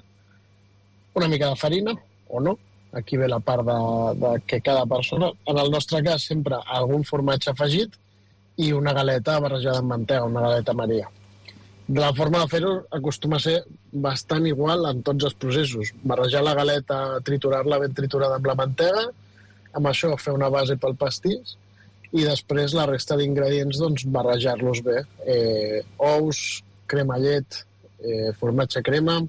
una mica de farina, o no, aquí ve la part de que cada persona, en el nostre cas sempre algun formatge afegit i una galeta barrejada amb mantega, una galeta Maria. La forma de fer-ho acostuma a ser bastant igual en tots els processos. Barrejar la galeta, triturar-la ben triturada amb la mantega, amb això fer una base pel pastís i després la resta d'ingredients doncs, barrejar-los bé. Ous, crema llet, formatge crema,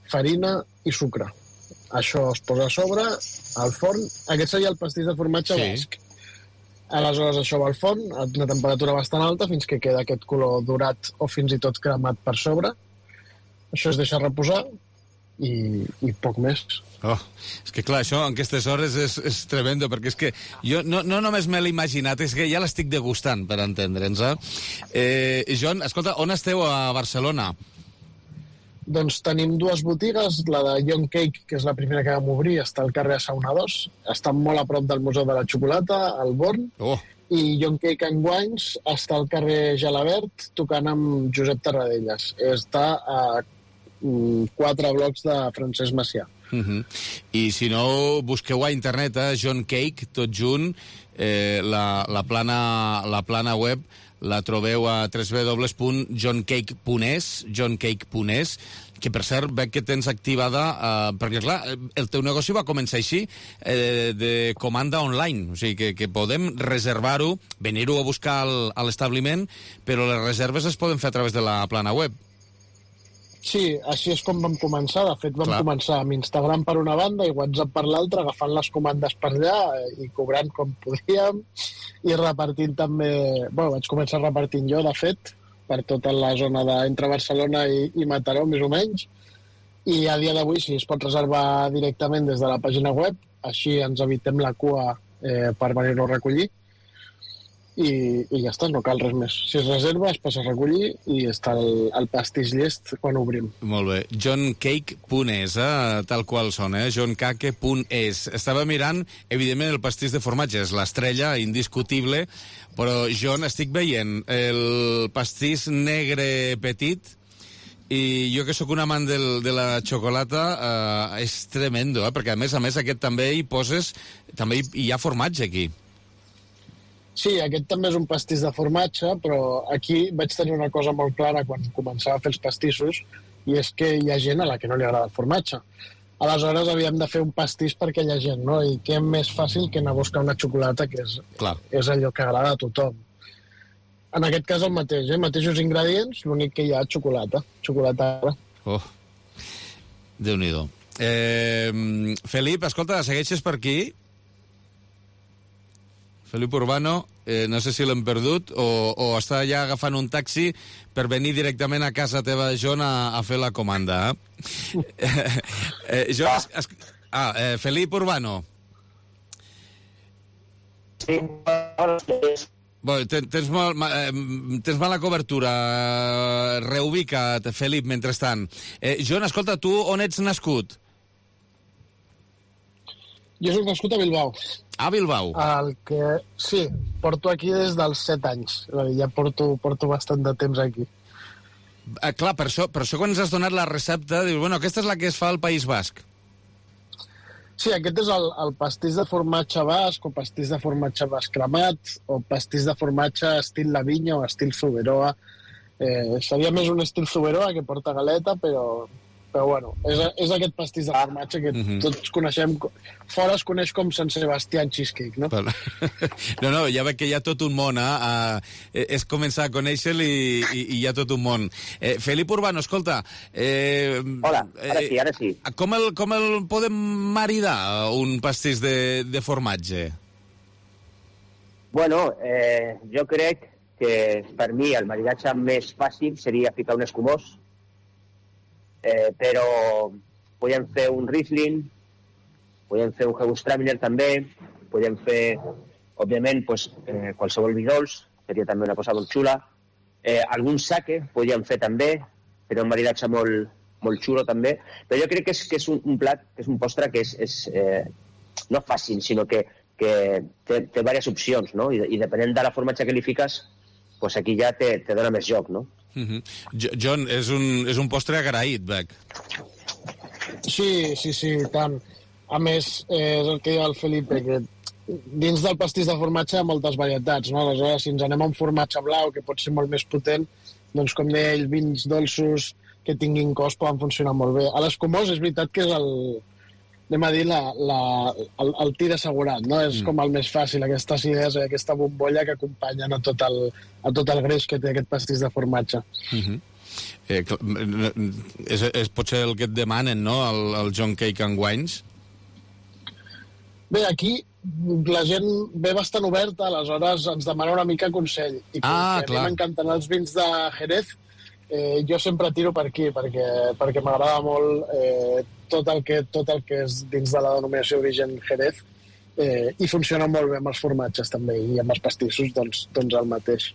farina i sucre. Això es posa a sobre, al forn. Aquest seria el pastís de formatge basc. Aleshores això va al forn a una temperatura bastant alta fins que queda aquest color dorat o fins i tot cremat per sobre. Això es deixa reposar i poc més. És que clar, això en aquestes hores és tremendo, perquè és que jo no només me l'he imaginat, és que ja l'estic degustant, per entendre'ns. Joan, escolta, on esteu a Barcelona? Doncs tenim 2 botigues, la de Young Cake, que és la primera que vam obrir, està al carrer Sauna 2, està molt a prop del Museu de la Xocolata, al Born, i Young Cake and Wines està al carrer Gelabert, tocant amb Josep Tarradellas. Està a 4 blocs de Francesc Macià. I si no, busqueu a internet, John Cake, tot junt, la plana web, la trobeu a www.johncake.es, que per cert veig que tens activada, perquè clar, el teu negoci va començar així, de comanda online, o sigui que podem reservar-ho, venir-ho a buscar a l'establiment, però les reserves es poden fer a través de la plana web. Sí, així és com vam començar. De fet, vam començar amb Instagram per una banda i WhatsApp per l'altra, agafant les comandes per allà i cobrant com podíem i repartint també... Bueno, vaig començar repartint jo, de fet, per tota la zona entre Barcelona i Mataró, més o menys. I a dia d'avui sí, es pot reservar directament des de la pàgina web, així ens evitem la cua per venir-lo a recollir. I ja està, no cal res més. Si es reserva, es passa a recollir i està el pastís llest quan obrim. Molt bé. johncake.es, tal qual sona, johncake.es. Estava mirant, evidentment, el pastís de formatge és l'estrella, indiscutible, però, John, estic veient el pastís negre petit i jo que sóc un amant de la xocolata, és tremendo, perquè a més aquest també hi poses, també hi ha formatge aquí. Sí, aquest també és un pastís de formatge, però aquí vaig tenir una cosa molt clara quan començava a fer els pastissos, i és que hi ha gent a la que no li agrada el formatge. Aleshores havíem de fer un pastís per aquella gent, no? I què més fàcil que anar a buscar una xocolata, que és allò que agrada a tothom. En aquest cas el mateix, mateixos ingredients, l'únic que hi ha xocolata. Oh, Déu-n'hi-do. Felip, escolta, segueixes per aquí? Felip Urbano, no sé si l'hem perdut o està ja agafant un taxi per venir directament a casa teva, John, a fer la comanda. Felip Urbano. Sí, tens mala cobertura. Reubica't, Felip, mentrestant. John, escolta, tu on ets nascut? Jo soc nascut a Bilbao. A Bilbao? Sí, porto aquí des dels 7 anys. Ja porto bastant de temps aquí. Clar, per això quan ens has donat la recepta, dius, bueno, aquesta és la que es fa al País Basc. Sí, aquest és el pastís de formatge basc, o pastís de formatge basc cremat, o pastís de formatge estil La Vinya o estil Zuberoa. Seria més un estil Zuberoa que porta galeta, però bueno, és aquest pastís de formatge que tots coneixem. Fora es coneix com Sant Sebastián Cheesecake, no? No, ja veig que hi ha tot un món, és començar a conèixer-lo i hi ha tot un món. Felip Urbano, escolta... Hola, ara sí. Com el podem maridar, un pastís de formatge? Bueno, jo crec que per mi el maridatge més fàcil seria ficar un escumós, però podem fer un Riesling, podem fer un Gewürztraminer també, podem fer, òbviament, qualsevol vi dolç, seria també una cosa molt xula. Algun sake podríem fer també, però un maridatge molt xulo també. Però jo crec que és un plat, que és un postre que és no fàcil, sinó que té diverses opcions, no? I depenent de la formatge que li fiques, aquí ja te dona més joc, no? John, és un postre agraït, veig. Sí, tant. A més, és el que diu el Felipe, que dins del pastís de formatge hi ha moltes varietats, no? Aleshores, si ens anem a un formatge blau, que pot ser molt més potent, doncs, com deia ell, vins dolços que tinguin cos poden funcionar molt bé. A l'escumós és veritat que és anem a dir, el tir assegurat, no? És com el més fàcil, aquesta acidesa, aquesta bombolla que acompanyen a tot el greix que té aquest pastís de formatge. És potser el que et demanen, no?, el John Cake and Wines? Bé, aquí la gent ve bastant oberta, aleshores ens demana una mica consell. I que m'encanten els vins de Jerez, jo sempre tiro per aquí, perquè m'agrada molt tot el que és dins de la denominació d'origen Jerez, i funciona molt bé amb els formatges també, i amb els pastissos doncs el mateix.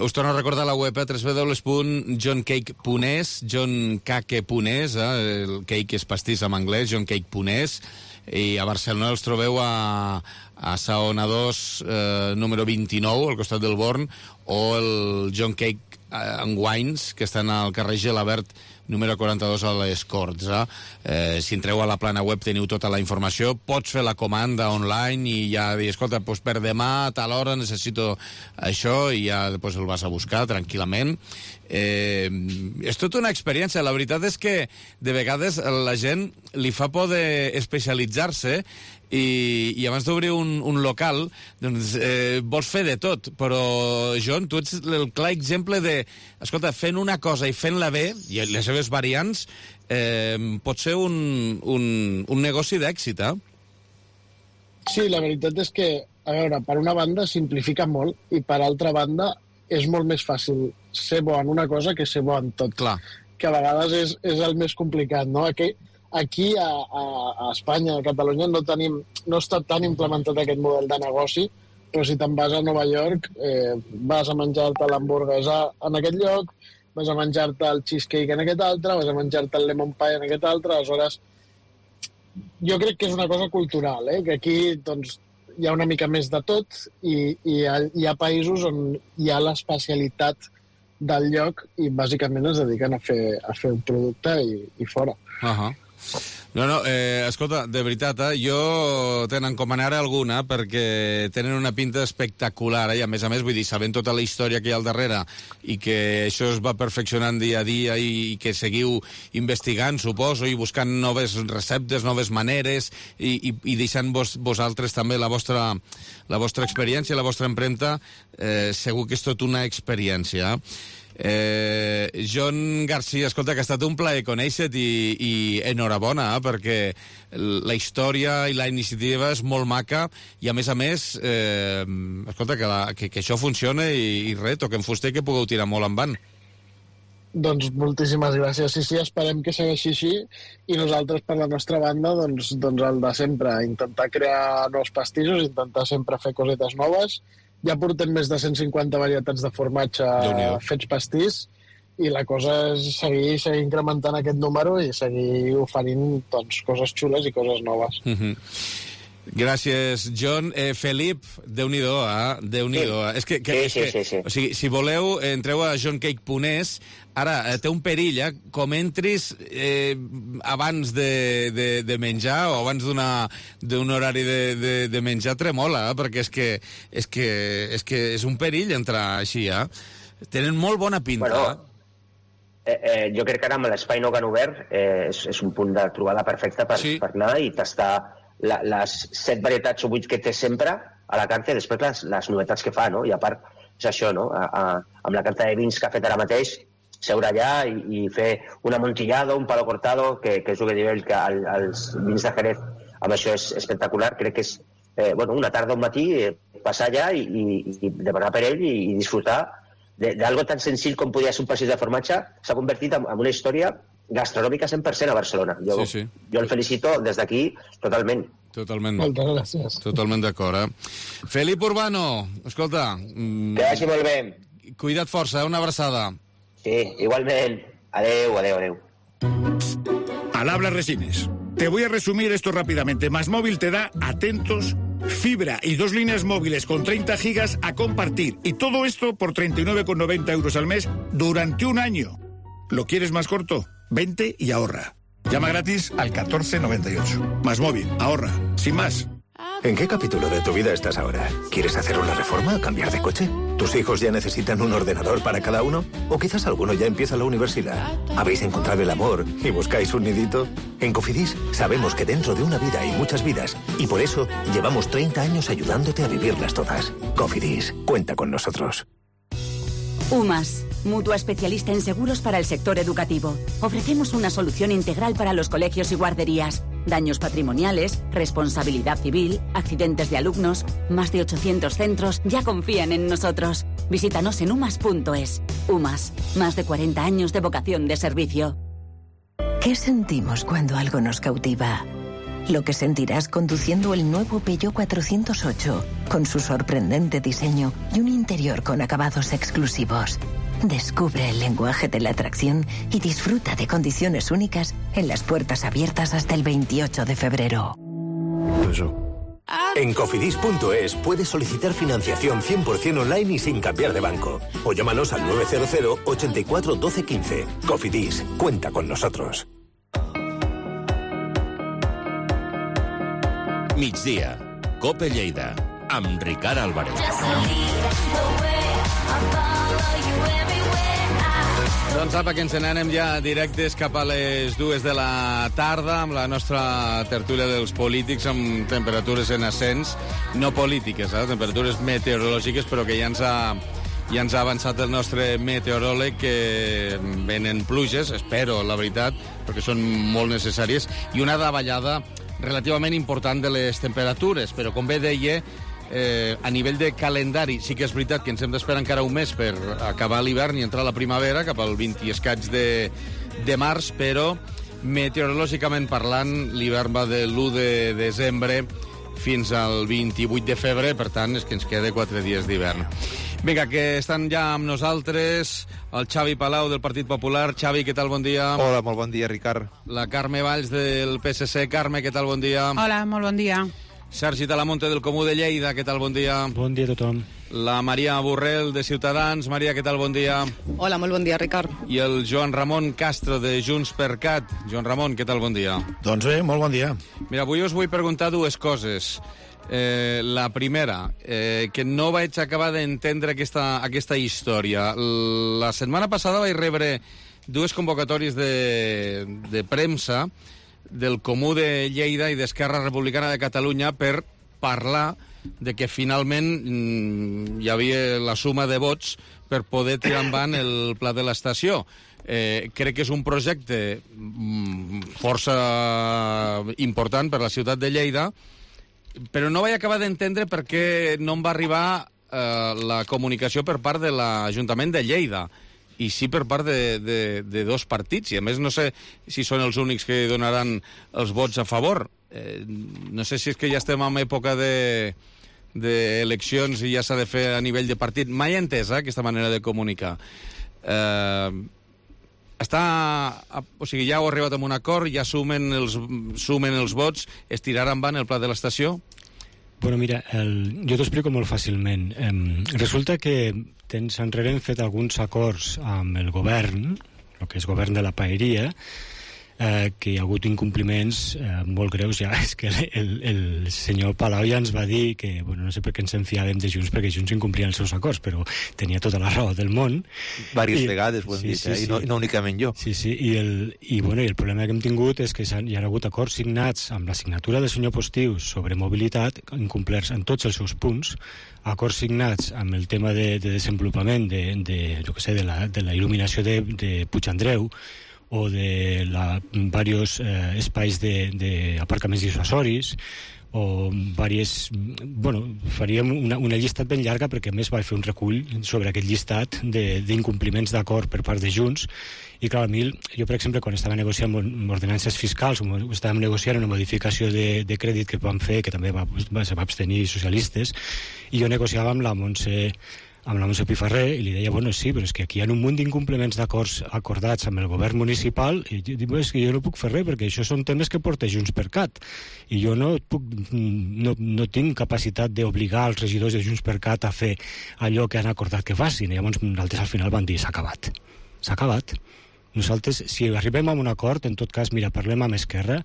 Us torno a recordar la web www.johncake.es, johncake.es, el cake és pastís en anglès, johncake.es, i a Barcelona els trobeu a Saona 2, número 29, al costat del Born, o el John Cake and Wines, que estan al carrer Gelabert, número 42 a les Corts. Si entreu a la plana web teniu tota la informació, pots fer la comanda online i ja dir, escolta, per demà a tal hora necessito això, i ja després el vas a buscar tranquil·lament. És tota una experiència. La veritat és que de vegades la gent li fa por d'especialitzar-se i abans d'obrir un local doncs, vols fer de tot, però John, tu ets el clar exemple de, escolta, fent una cosa i fent-la bé, i les seves variants, pot ser un negoci d'èxit, Sí, la veritat és que, a veure, per una banda simplifica molt, i per altra banda és molt més fàcil ser bo en una cosa que ser bo en tot. Clar. Que a vegades és el més complicat, no? Aquí a Espanya, a Catalunya, no està tan implementat aquest model de negoci, però si te'n vas a Nova York, vas a menjar-te l'hamburguesa en aquest lloc, vas a menjar-te el cheesecake en aquest altre, vas a menjar-te el lemon pie en aquest altre, aleshores jo crec que és una cosa cultural, que aquí doncs, hi ha una mica més de tot i hi ha països on hi ha l'especialitat del lloc i bàsicament es dediquen a fer un producte i fora. No, escolta, de veritat, jo te n'encomanaré alguna perquè tenen una pinta espectacular i a més, vull dir, sabent tota la història que hi ha al darrere i que això es va perfeccionant dia a dia i que seguiu investigant, suposo, i buscant noves receptes, noves maneres i deixant vosaltres també la vostra experiència, la vostra empremta, segur que és tot una experiència. John Garcia, escolta, que ha estat un plaer conèixer-te i enhorabona, perquè la història i la iniciativa és molt maca i, a més, escolta, que això funciona i res, toquem fuster que pugueu tirar molt en van. Doncs moltíssimes gràcies. Sí, esperem que segueixi així i nosaltres, per la nostra banda, doncs el de sempre, intentar crear nous pastissos, intentar sempre fer cosetes noves. Ja portem més de 150 varietats de formatge fets pastís i la cosa és seguir incrementant aquest número i seguir oferint coses xules i coses noves. Gràcies, John. Felip, Déu-n'hi-do, Déu-n'hi-do. Sí. O sigui, si voleu, entreu a johncake.es. Ara, té un perill, com entris abans de menjar o abans d'un horari de menjar, tremola, perquè és que és un perill entrar així, Tenen molt bona pinta. Bueno, jo crec que ara amb l'espai no que han obert és un punt de trobada perfecta per anar i tastar les 7 varietats o 8 que té sempre a la carta i després les novetats que fa, no? I a part, és això, no? Amb la carta de vins que ha fet ara mateix, seure allà i fer un amontillado, un palo cortado, que és el que diu ell, que els vins de Jerez amb això és espectacular. Crec que és una tarda o un matí passar allà i demanar per ell i disfrutar d'algo tan senzill com podia ser un passeig de formatge. S'ha convertit en una història gastronòmica 100% a Barcelona. Jo el felicito des d'aquí totalment. Totalment. Moltes gràcies. Totalment d'acord, Felip Urbano, escolta... Que vagi molt bé. Cuida't força, una abraçada. Sí, igualment. Adeu. Al habla Resines. Te voy a resumir esto rápidamente. MásMóvil te da, atentos, fibra y 2 líneas móviles con 30 gigas a compartir. Y todo esto por 39,90 euros al mes durante un año. ¿Lo quieres más corto? Vente y ahorra. Llama gratis al 1498. MásMóvil, ahorra, sin más. ¿En qué capítulo de tu vida estás ahora? ¿Quieres hacer una reforma? ¿Cambiar de coche? ¿Tus hijos ya necesitan un ordenador para cada uno? ¿O quizás alguno ya empieza la universidad? ¿Habéis encontrado el amor y buscáis un nidito? En Cofidis sabemos que dentro de una vida hay muchas vidas y por eso llevamos 30 años ayudándote a vivirlas todas. Cofidis, cuenta con nosotros. UMAS, mutua especialista en seguros para el sector educativo. Ofrecemos una solución integral para los colegios y guarderías. Daños patrimoniales, responsabilidad civil, accidentes de alumnos. Más de 800 centros ya confían en nosotros. Visítanos en umas.es. UMAS, más de 40 años de vocación de servicio. ¿Qué sentimos cuando algo nos cautiva? Lo que sentirás conduciendo el nuevo Peugeot 408, con su sorprendente diseño y un interior con acabados exclusivos. Descubre el lenguaje de la atracción y disfruta de condiciones únicas en las puertas abiertas hasta el 28 de febrero. En Cofidis.es puedes solicitar financiación 100% online y sin cambiar de banco. O llámanos al 900 84 12 15. Cofidis, cuenta con nosotros. Migdia, COPE Lleida, amb Ricard Álvarez. Doncs apa, que ens n'anem ja directes cap a les 2 de la tarda amb la nostra tertúlia dels polítics amb temperatures en ascens, no polítiques, temperatures meteorològiques, però que ja ens ha avançat el nostre meteoròleg que venen pluges, espero, la veritat, perquè són molt necessàries, i una davallada relativament important de les temperatures, però com bé deia, a nivell de calendari sí que és veritat que ens hem d'esperar encara un mes per acabar l'hivern i entrar a la primavera cap al 20 i escaig de març, però meteorològicament parlant l'hivern va de l'1 de desembre fins al 28 de febrer, per tant és que ens queda 4 dies d'hivern. Vinga, que estan ja amb nosaltres el Xavi Palau del Partit Popular. Xavi, què tal? Bon dia. Hola, molt bon dia, Ricard. La Carme Valls del PSC. Carme, què tal? Bon dia. Hola, molt bon dia. Sergi Talamonte del Comú de Lleida, què tal, bon dia? Bon dia a tothom. La Maria Borrell de Ciutadans. Maria, què tal, bon dia? Hola, molt bon dia, Ricard. I el Joan Ramon Castro de JxCat. Joan Ramon, què tal, bon dia? Doncs bé, molt bon dia. Mira, avui us vull preguntar dues coses. La primera, que no vaig acabar d'entendre aquesta història. La setmana passada vaig rebre dues convocatòries de premsa del Comú de Lleida i d'Esquerra Republicana de Catalunya per parlar de que finalment hi havia la suma de vots per poder tirar endavant el pla de l'estació. Crec que és un projecte força important per la ciutat de Lleida, però no vaig acabar d'entendre per què no em va arribar la comunicació per part de l'Ajuntament de Lleida, i sí per part de dos partits, i a més no sé si són els únics que donaran els vots a favor. No sé si és que ja estem en època d'eleccions i ja s'ha de fer a nivell de partit. Mai he entès aquesta manera de comunicar. O sigui, ja heu arribat a un acord, ja sumen els vots, es tirarà endavant el pla de l'estació? Bueno, mira, jo t'ho explico molt fàcilment. Resulta que temps enrere hem fet alguns acords amb el govern, el que és govern de la paeria, que hi ha hagut incompliments molt greus ja. És que el senyor Palau ja ens va dir que, bueno, no sé per què ens enfiàvem de Junts, perquè Junts incomplien els seus acords, però tenia tota la raó del món. Vàries vegades ho hem dit, i no únicament jo. Sí, i el problema que hem tingut és que hi ha hagut acords signats amb la signatura del senyor Postius sobre mobilitat, incomplerts en tots els seus punts, acords signats amb el tema de desenvolupament de la il·luminació de Puigandreu, o de diversos espais d'aparcaments dissuasoris, o diverses... Bueno, faríem una llistat ben llarga, perquè a més vaig fer un recull sobre aquest llistat d'incompliments d'acord per part de Junts, i clar, jo, per exemple, quan estava negociant ordenances fiscals, estàvem negociant una modificació de crèdit que vam fer, que també se va abstenir socialistes, i jo negociava amb la Montse Pifarré, i li deia, bueno, sí, però és que aquí hi ha un munt d'incompliments d'acords acordats amb el govern municipal, i jo dic, és que jo no puc fer res, perquè això són temes que porta JxCat, i jo no tinc capacitat d'obligar els regidors de JxCat a fer allò que han acordat que facin, i llavors nosaltres al final van dir, s'ha acabat. Nosaltres, si arribem a un acord, en tot cas, mira, parlem amb Esquerra,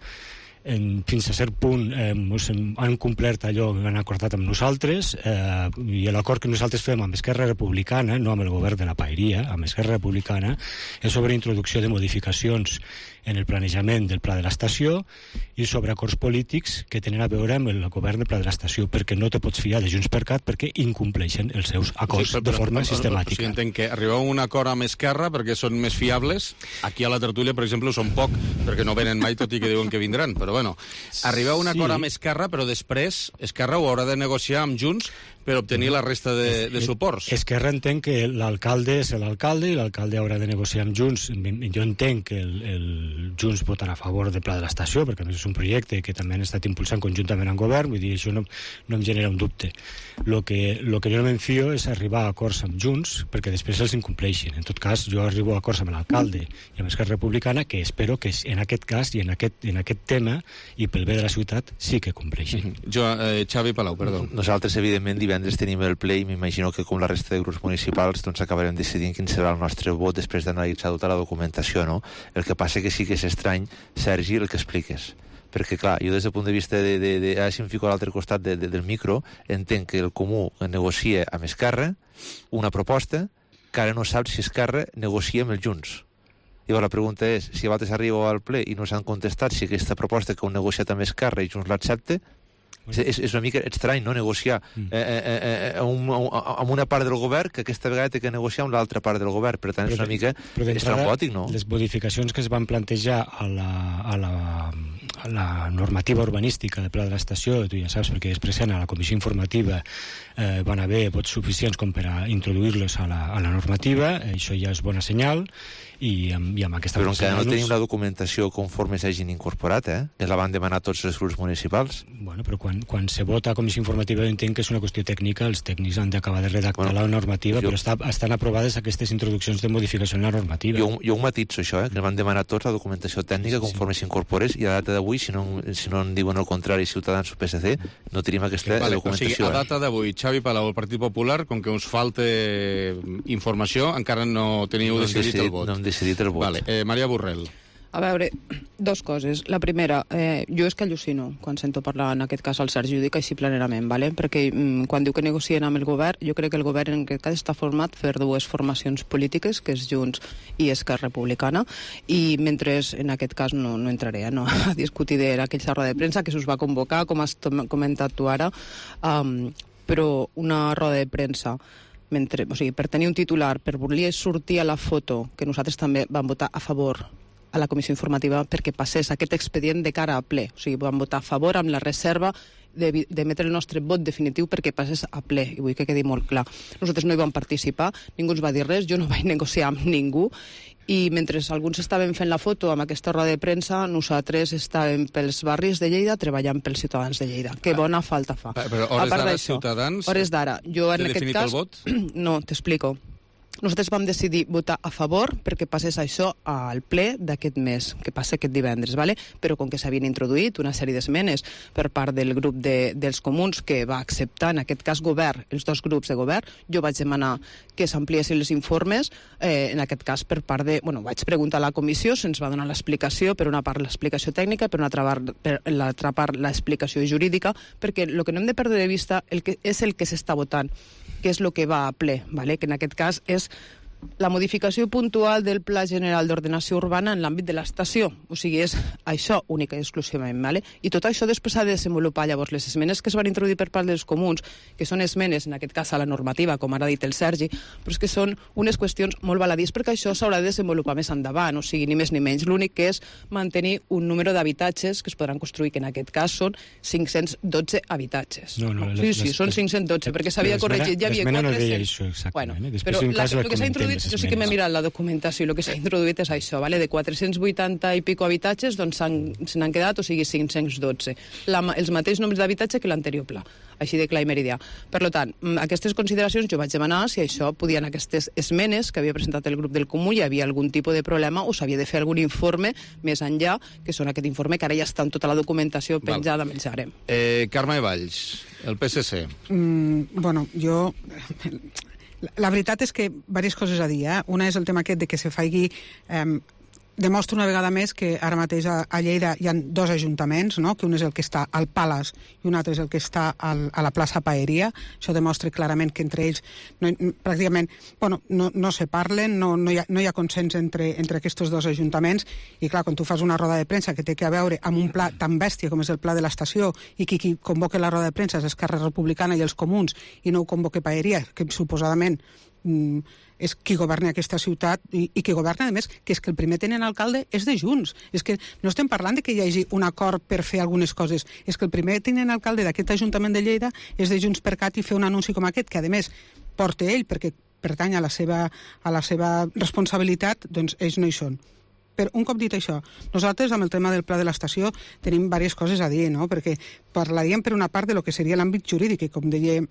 fins a cert punt han complert allò que han acordat amb nosaltres, i l'acord que nosaltres fem amb Esquerra Republicana, no amb el govern de la paeria, amb Esquerra Republicana, és sobre introducció de modificacions en el planejament del pla de l'estació i sobre acords polítics que tenen a veure amb el govern del pla de l'estació, perquè no te pots fiar de JxCat perquè incompleixen els seus acords de forma sistemàtica. O sigui, entenc que arribeu a un acord amb Esquerra perquè són més fiables. Aquí a la tertúlia, per exemple, són poc, perquè no venen mai, tot i que diuen que vindran. Però bueno, arribeu a un acord amb Esquerra, però després Esquerra ho haurà de negociar amb Junts per obtenir la resta de suports. Esquerra entén que l'alcalde és l'alcalde i l'alcalde haurà de negociar amb Junts. Jo entenc que el Junts votarà a favor del pla de l'estació, perquè a més és un projecte que també han estat impulsant conjuntament amb govern, vull dir, això no em genera un dubte. Lo que jo no m'enfio és arribar a acords amb Junts perquè després els incompleixin. En tot cas, jo arribo a acords amb l'alcalde i amb Esquerra Republicana, que espero que en aquest cas i en aquest tema i pel bé de la ciutat sí que compleixin. Xavi Palau, perdó. Nosaltres, evidentment, divendres tenim el ple i m'imagino que com la resta de grups municipals doncs acabarem decidint quin serà el nostre vot després d'analitzar tota la documentació, no? El que passa que sí que és estrany, Sergi, el que expliques, perquè clar, jo des del punt de vista ara si em fico a l'altre costat del micro, entenc que el Comú negocia amb Esquerra una proposta que ara no saps si Esquerra negocia amb els Junts. Llavors la pregunta és, si a vegades arribo al ple i no s'han contestat si aquesta proposta que heu negociat amb Esquerra i Junts l'accepta, és una mica estrany, no?, negociar amb una part del govern que aquesta vegada té que negociar amb l'altra part del govern. Per tant, és una mica estrambòtic, no? Les modificacions que es van plantejar a la normativa urbanística del pla de l'estació, tu ja saps, perquè després a la comissió informativa van haver vots suficients com per a introduir-los a la normativa, això ja és bona senyal, i amb aquesta... Però encara no tenim la documentació conforme s'hagin incorporat, que la van demanar tots els grups municipals. Bueno, però quan se vota a comissió informativa entenc que és una qüestió tècnica, els tècnics han d'acabar de redactar la normativa, però estan aprovades aquestes introduccions de modificació en la normativa. Jo ho matitzo, això, que van demanar tots la documentació tècnica conforme s'incorporés, i a data d'avui, si no en diuen el contrari Ciutadans o PSC, no tenim aquesta documentació. O sigui, a data d'avui, Xavi Palau, el Partit Popular, com que us falta informació, encara no teniu decidit el vot. No hem decidit el vot. Maria Borrell. A veure, dos coses. La primera, jo és que al·lucino quan sento parlar, en aquest cas, al Sergi, ho dic així plenament, perquè quan diu que negocien amb el govern, jo crec que el govern en aquest cas està format per dues formacions polítiques, que és Junts i Esquerra Republicana, i mentre, en aquest cas, no entraré a discutir d'aquella roda de premsa que s'us va convocar, com has comentat tu ara, però una roda de premsa per tenir un titular, per voler sortir a la foto, que nosaltres també vam votar a favor a la comissió informativa perquè passés aquest expedient de cara a ple. O sigui, vam votar a favor amb la reserva d'emetre el nostre vot definitiu perquè passés a ple, i vull que quedi molt clar. Nosaltres no hi vam participar, ningú ens va dir res, jo no vaig negociar amb ningú, i mentre alguns estaven fent la foto amb aquesta roda de premsa, nosaltres estàvem pels barris de Lleida treballant pels ciutadans de Lleida. Que bona falta fa. Però hores d'ara, Ciutadans... Hores d'ara. Jo en aquest cas... el vot? No, t'explico. Nosaltres vam decidir votar a favor perquè passés això al ple d'aquest mes, que passa aquest divendres, però com que s'havien introduït una sèrie d'esmenes per part del grup dels comuns que va acceptar, en aquest cas govern, els dos grups de govern, jo vaig demanar que s'ampliessin els informes, en aquest cas per part de... vaig preguntar a la comissió, se'ns va donar l'explicació, per una part l'explicació tècnica, per l'altra part l'explicació jurídica, perquè el que no hem de perdre de vista és el que s'està votant, que és el que va a ple, que en aquest cas és la modificació puntual del Pla General d'Ordenació Urbana en l'àmbit de l'estació. O sigui, és això única i exclusivament. I tot això després s'ha de desenvolupar. Llavors, les esmenes que es van introduir per part dels comuns, que són esmenes, en aquest cas a la normativa, com ara ha dit el Sergi, però és que són unes qüestions molt baladís perquè això s'haurà de desenvolupar més endavant, o sigui, ni més ni menys. L'únic que és mantenir un número d'habitatges que es podran construir, que en aquest cas són 512 habitatges. Sí, són 512, perquè s'havia corregit, ja havia 400. L'esmena no deia això, exactament. Però el que s'ha introduït, jo sí que m'he mirat la documentació, i el que s'ha introduït és això, de 480 i pico habitatges, doncs se n'han quedat, o sigui, 512. Els mateixos nombres d'habitatge que l'anterior pla, així de clar i meridià. Per tant, aquestes consideracions jo vaig demanar si això podien, aquestes esmenes que havia presentat el grup del Comú, hi havia algun tipus de problema o s'havia de fer algun informe més enllà, que són aquest informe que ara ja està en tota la documentació penjada amb el Jarem. Carme Valls, el PSC. Jo... La veritat és que diverses coses a dir. Una és el tema aquest de que se faci... Demostra una vegada més que ara mateix a Lleida hi ha dos ajuntaments, que un és el que està al Palace i un altre és el que està a la plaça Paeria. Això demostra clarament que entre ells pràcticament no se parlen, no hi ha consens entre aquests dos ajuntaments, i clar, quan tu fas una roda de premsa que té a veure amb un pla tan bèstia com és el pla de l'estació, i qui convoca la roda de premsa és Esquerra Republicana i els comuns, i no ho convoca Paeria, que suposadament és qui governa aquesta ciutat i qui governa, a més, que és que el primer tenent alcalde és de Junts. És que no estem parlant de que hi hagi un acord per fer algunes coses, és que el primer tenent alcalde d'aquest Ajuntament de Lleida és de Junts per Cat, i fer un anunci com aquest, que a més porta ell perquè pertany a la seva responsabilitat, doncs ells no hi són. Però un cop dit això, nosaltres amb el tema del pla de l'estació tenim diverses coses a dir, perquè parlaríem per una part de lo que seria l'àmbit jurídic, i com deia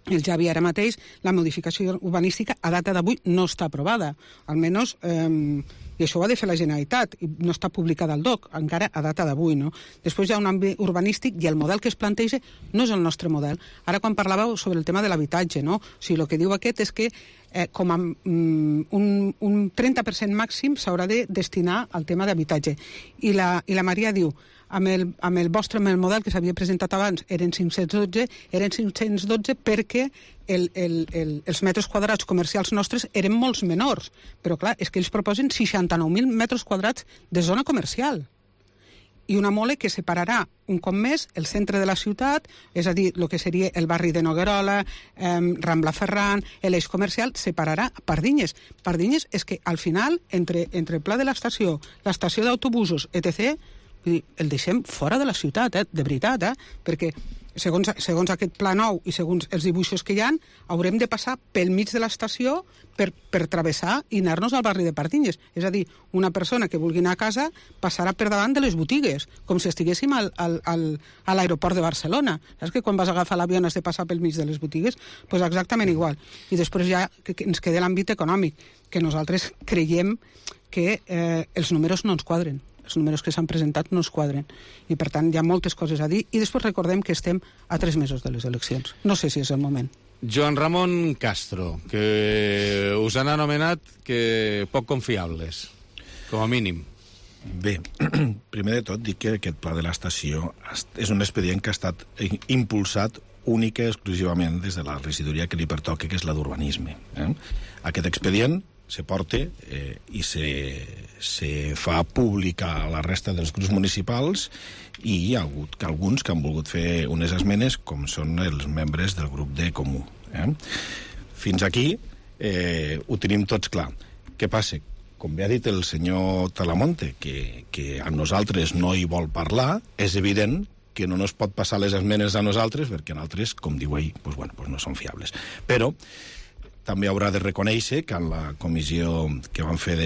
el Javi ara mateix, la modificació urbanística a data d'avui no està aprovada, almenys, i això ho ha de fer la Generalitat, i no està publicada al DOC, encara a data d'avui, Després hi ha un àmbit urbanístic i el model que es planteja no és el nostre model. Ara, quan parlàveu sobre el tema de l'habitatge, o sigui, el que diu aquest és que com a un 30% màxim s'haurà de destinar al tema d'habitatge. I la Maria diu, amb el model que s'havia presentat abans eren 512 perquè els metres quadrats comercials nostres eren molts menors, però clar, és que ells proposen 69.000 metres quadrats de zona comercial, i una mole que separarà un cop més el centre de la ciutat, és a dir, el que seria el barri de Noguerola, Rambla Ferran, l'eix comercial, separarà Pardinyes. Pardinyes és que al final, entre el pla de l'estació d'autobusos, etc., el deixem fora de la ciutat, de veritat, perquè segons aquest pla nou i segons els dibuixos que hi ha, haurem de passar pel mig de l'estació per travessar i anar-nos al barri de Pardinyes. És a dir, una persona que vulgui anar a casa passarà per davant de les botigues, com si estiguéssim a l'aeroport de Barcelona. Saps que quan vas a agafar l'avió has de passar pel mig de les botigues? Doncs exactament igual. I després ja ens queda l'àmbit econòmic, que nosaltres creiem que els números no ens quadren. Els números que s'han presentat no es quadren. I, per tant, hi ha moltes coses a dir. I després recordem que estem a 3 mesos de les eleccions. No sé si és el moment. Joan Ramon Castro, que us han anomenat que poc confiables, com a mínim. Bé, primer de tot dic que aquest pla de l'estació és un expedient que ha estat impulsat única i exclusivament des de la regidoria que li pertoca, que és la d'urbanisme. Aquest expedient se porta i se fa pública a la resta dels grups municipals i hi ha hagut alguns que han volgut fer unes esmenes, com són els membres del grup de Comú. Fins aquí ho tenim tots clar. Què passa? Com bé ha dit el senyor Talamonte, que a nosaltres no hi vol parlar, és evident que no ens pot passar les esmenes a nosaltres, perquè nosaltres, com diu ell, no són fiables. Però també haurà de reconèixer que en la comissió que van fer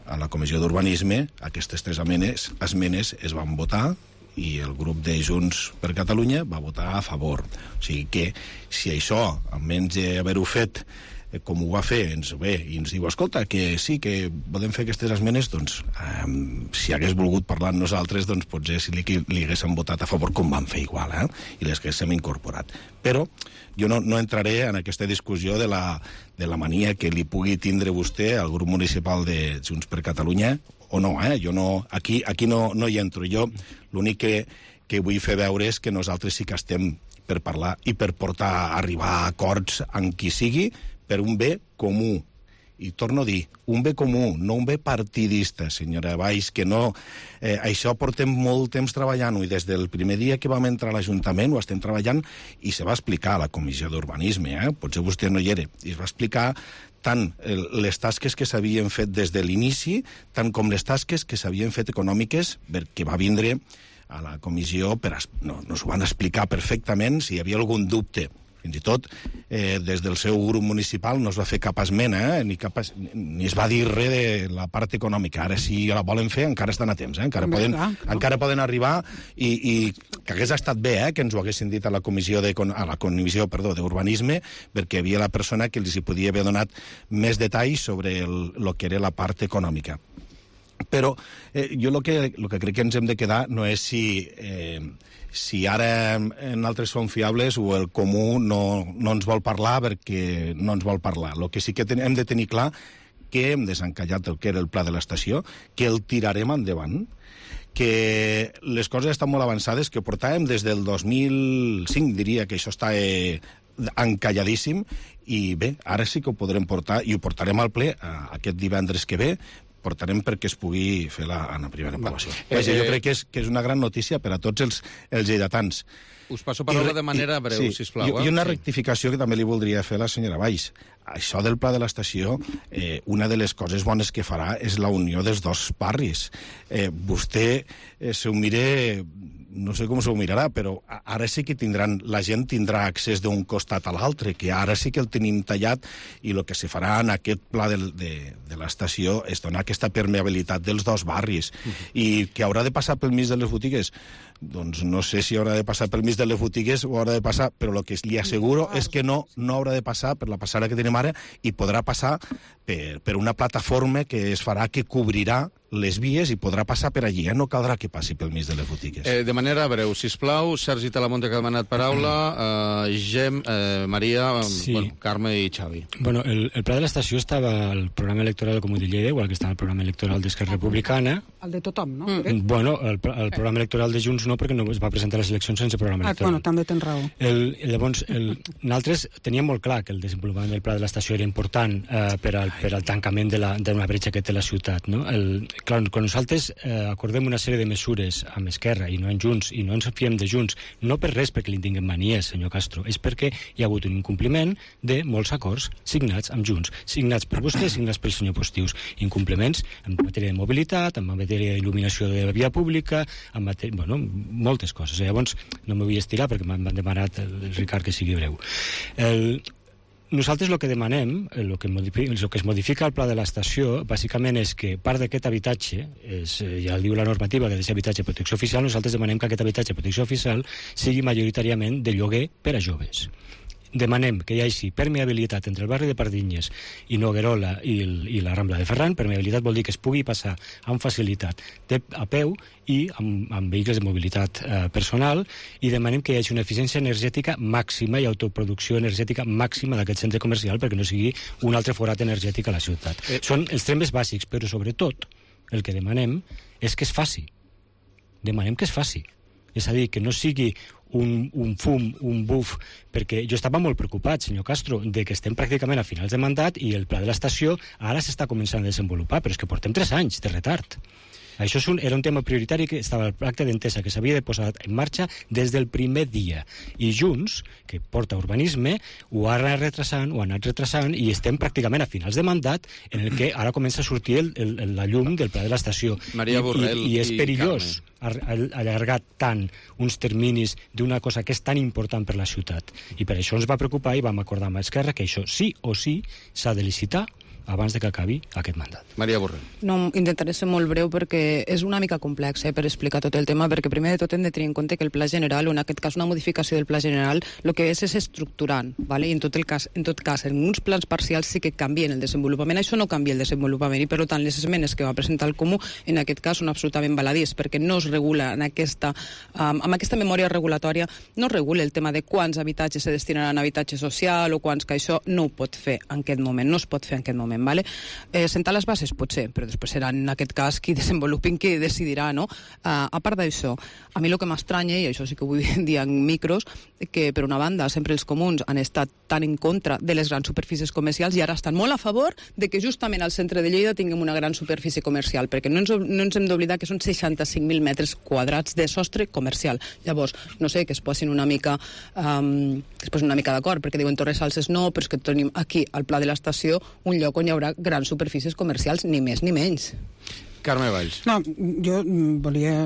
a la comissió d'urbanisme, aquestes 3 esmenes es van votar i el grup de Junts per Catalunya va votar a favor. O sigui que si això, almenys haver-ho fet com ho va fer, ens diu, escolta, que sí, que podem fer aquestes esmenes, doncs, si hagués volgut parlar amb nosaltres, doncs potser si li haguéssim votat a favor, com van fer igual, i les haguéssim incorporat. Però jo no entraré en aquesta discussió de la mania que li pugui tindre vostè al grup municipal de Junts per Catalunya, o no, jo no, aquí no hi entro. Jo l'únic que vull fer veure és que nosaltres sí que estem per parlar i per arribar a acords amb qui sigui, per un bé comú. I torno a dir, un bé comú, no un bé partidista, senyora Valls, que no... això portem molt temps treballant-ho, i des del primer dia que vam entrar a l'Ajuntament ho estem treballant, i se va explicar a la Comissió d'Urbanisme, potser vostè no hi era, i es va explicar tant les tasques que s'havien fet des de l'inici, tant com les tasques que s'havien fet econòmiques, perquè va vindre a la comissió, nos ho van explicar perfectament, si hi havia algun dubte. Fins i tot, des del seu grup municipal no es va fer cap esmena, ni es va dir res de la part econòmica. Ara, si la volen fer, encara estan a temps, encara poden arribar, i que hagués estat bé que ens ho haguessin dit a la comissió d'Urbanisme, perquè hi havia la persona que els hi podia haver donat més detalls sobre el que era la part econòmica. Però jo el que crec que ens hem de quedar no és si ara nosaltres som fiables o el comú no ens vol parlar perquè no ens vol parlar. El que sí que hem de tenir clar que hem desencallat el que era el pla de l'estació, que el tirarem endavant, que les coses estan molt avançades, que portàvem des del 2005, diria que això està encalladíssim, i bé, ara sí que ho podrem portar, i ho portarem al ple aquest divendres que ve, portarem perquè es pugui fer en la primera aprovació. Jo crec que és una gran notícia per a tots els lleidatans. Us passo paraula de manera breu, sisplau. I una rectificació que també li voldria fer a la senyora Valls. Això del pla de l'estació, una de les coses bones que farà és la unió dels dos barris. Vostè s'ho mire... no sé com s'ho mirarà, però ara sí que la gent tindrà accés d'un costat a l'altre, que ara sí que el tenim tallat, i el que se farà en aquest pla de l'estació és donar aquesta permeabilitat dels dos barris. I que haurà de passar pel mig de les botigues, doncs no sé si haurà de passar pel mig de les botigues o haurà de passar, però el que li asseguro és que no haurà de passar per la passada que tenim ara, i podrà passar per una plataforma que es farà, que cobrirà les vies, i podrà passar per allí. No caldrà que passi pel mig de les botigues. De manera breu, sisplau, Sergi Talamonte, que ha demanat paraula, Maria, Carme i Xavi. Bueno, el pla de l'estació estava al programa electoral del Comú de Lleida, igual que estava al programa electoral d'Esquerra Republicana. El de tothom, no? Bueno, el programa electoral de Junts no, perquè no es va presentar a les eleccions sense programa electoral. Bueno, també tens raó. Llavors, nosaltres teníem molt clar que el desenvolupament del pla de l'estació era important per al tancament d'una bretxa que té la ciutat, no? clar, quan nosaltres acordem una sèrie de mesures amb Esquerra i no en Junts, i no ens fiem de Junts, no per res perquè li tinguem manies, senyor Castro, és perquè hi ha hagut un incompliment de molts acords signats amb Junts, signats per vostès, signats pel senyor Postius. Incompliments en matèria de mobilitat, en matèria d'il·luminació de la via pública, en matèria... Bueno, moltes coses. Llavors, no m'ho vull estirar perquè m'han demanat el Ricard que sigui breu. Nosaltres el que demanem, el que es modifica al pla de l'estació, bàsicament és que part d'aquest habitatge, ja diu la normativa que ha de ser habitatge de protecció oficial, nosaltres demanem que aquest habitatge de protecció oficial sigui majoritàriament de lloguer per a joves. Demanem que hi hagi permeabilitat entre el barri de Pardinyes i Noguerola i la Rambla de Ferran. Permeabilitat vol dir que es pugui passar amb facilitat a peu i amb vehicles de mobilitat personal, i demanem que hi hagi una eficiència energètica màxima i autoproducció energètica màxima d'aquest centre comercial perquè no sigui un altre forat energètic a la ciutat. Són els temes bàsics, però sobretot el que demanem és que es faci. Demanem que es faci. És a dir, que no sigui un fum, un buf, perquè jo estava molt preocupat, senyor Castro, de que estem pràcticament a finals de mandat i el pla de l'estació ara s'està començant a desenvolupar, però és que portem 3 anys de retard. Això era un tema prioritari que estava al pacte d'entesa, que s'havia de posar en marxa des del primer dia. I Junts, que porta urbanisme, ho ha anat retrasant i estem pràcticament a finals de mandat en el que ara comença a sortir la llum del pla de l'estació. Maria Borrell I és perillós allargar tant uns terminis d'una cosa que és tan important per la ciutat. I per això ens va preocupar i vam acordar amb Esquerra que això sí o sí s'ha de licitar abans de que acabi aquest mandat. Maria Borrell. No, intentaré ser molt breu perquè és una mica complex per explicar tot el tema, perquè primer de tot hem de tenir en compte que el pla general, o en aquest cas una modificació del pla general, el que és estructurant, ¿vale? I en tot cas, en uns plans parcials sí que canvien el desenvolupament, això no canvia el desenvolupament, i per tant les esmenes que va presentar el Comú en aquest cas són absolutament baladís, perquè no es regula amb aquesta memòria regulatòria, no es regula el tema de quants habitatges se destinaran a habitatge social o quants, que això no ho pot fer en aquest moment, no es pot fer en aquest moment. Vale? Sentar les bases potser, però després serà en aquest cas qui desenvolupin, qui decidirà, no? A part d'això, a mi el que m'estranya, i això sí que ho vull dir en micros, que per una banda sempre els comuns han estat tan en contra de les grans superfícies comercials i ara estan molt a favor de que justament al centre de Lleida tinguem una gran superfície comercial, perquè no ens hem d'oblidar que són 65.000 metres quadrats de sostre comercial. Llavors, no sé, que es posin una mica d'acord, perquè diuen Torres Salses no, però és que tenim aquí al Pla de l'Estació un lloc on hi haurà grans superfícies comercials, ni més ni menys. Carme Valls. No, jo volia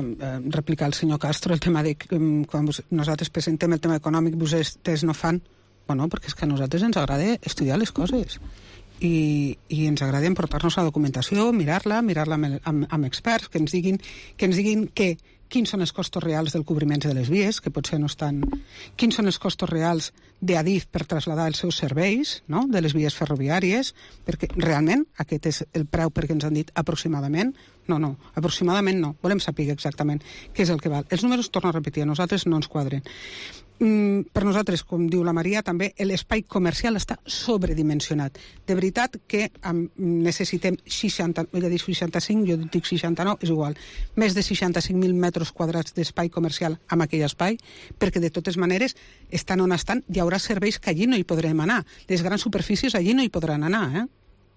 replicar al senyor Castro el tema de quan nosaltres presentem el tema econòmic, vostès no fan. Bueno, perquè és que a nosaltres ens agrada estudiar les coses i ens agrada emportar-nos la documentació, mirar-la amb experts que ens diguin quins són els costos reals del cobriment de les vies, que potser no estan... Quins són els costos reals d'Adif per traslladar els seus serveis, no?, de les vies ferroviàries, perquè realment aquest és el preu perquè ens han dit aproximadament. No, aproximadament no. Volem saber exactament què és el que val. Els números, torno a repetir, a nosaltres no ens quadren. Per nosaltres, com diu la Maria, també l'espai comercial està sobredimensionat. De veritat que necessitem 60, ella diu 65, jo dic 69, és igual, més de 65.000 metres quadrats d'espai comercial amb aquell espai, perquè de totes maneres, estan on estan, hi haurà serveis que allí no hi podrem anar. Les grans superfícies allí no hi podran anar,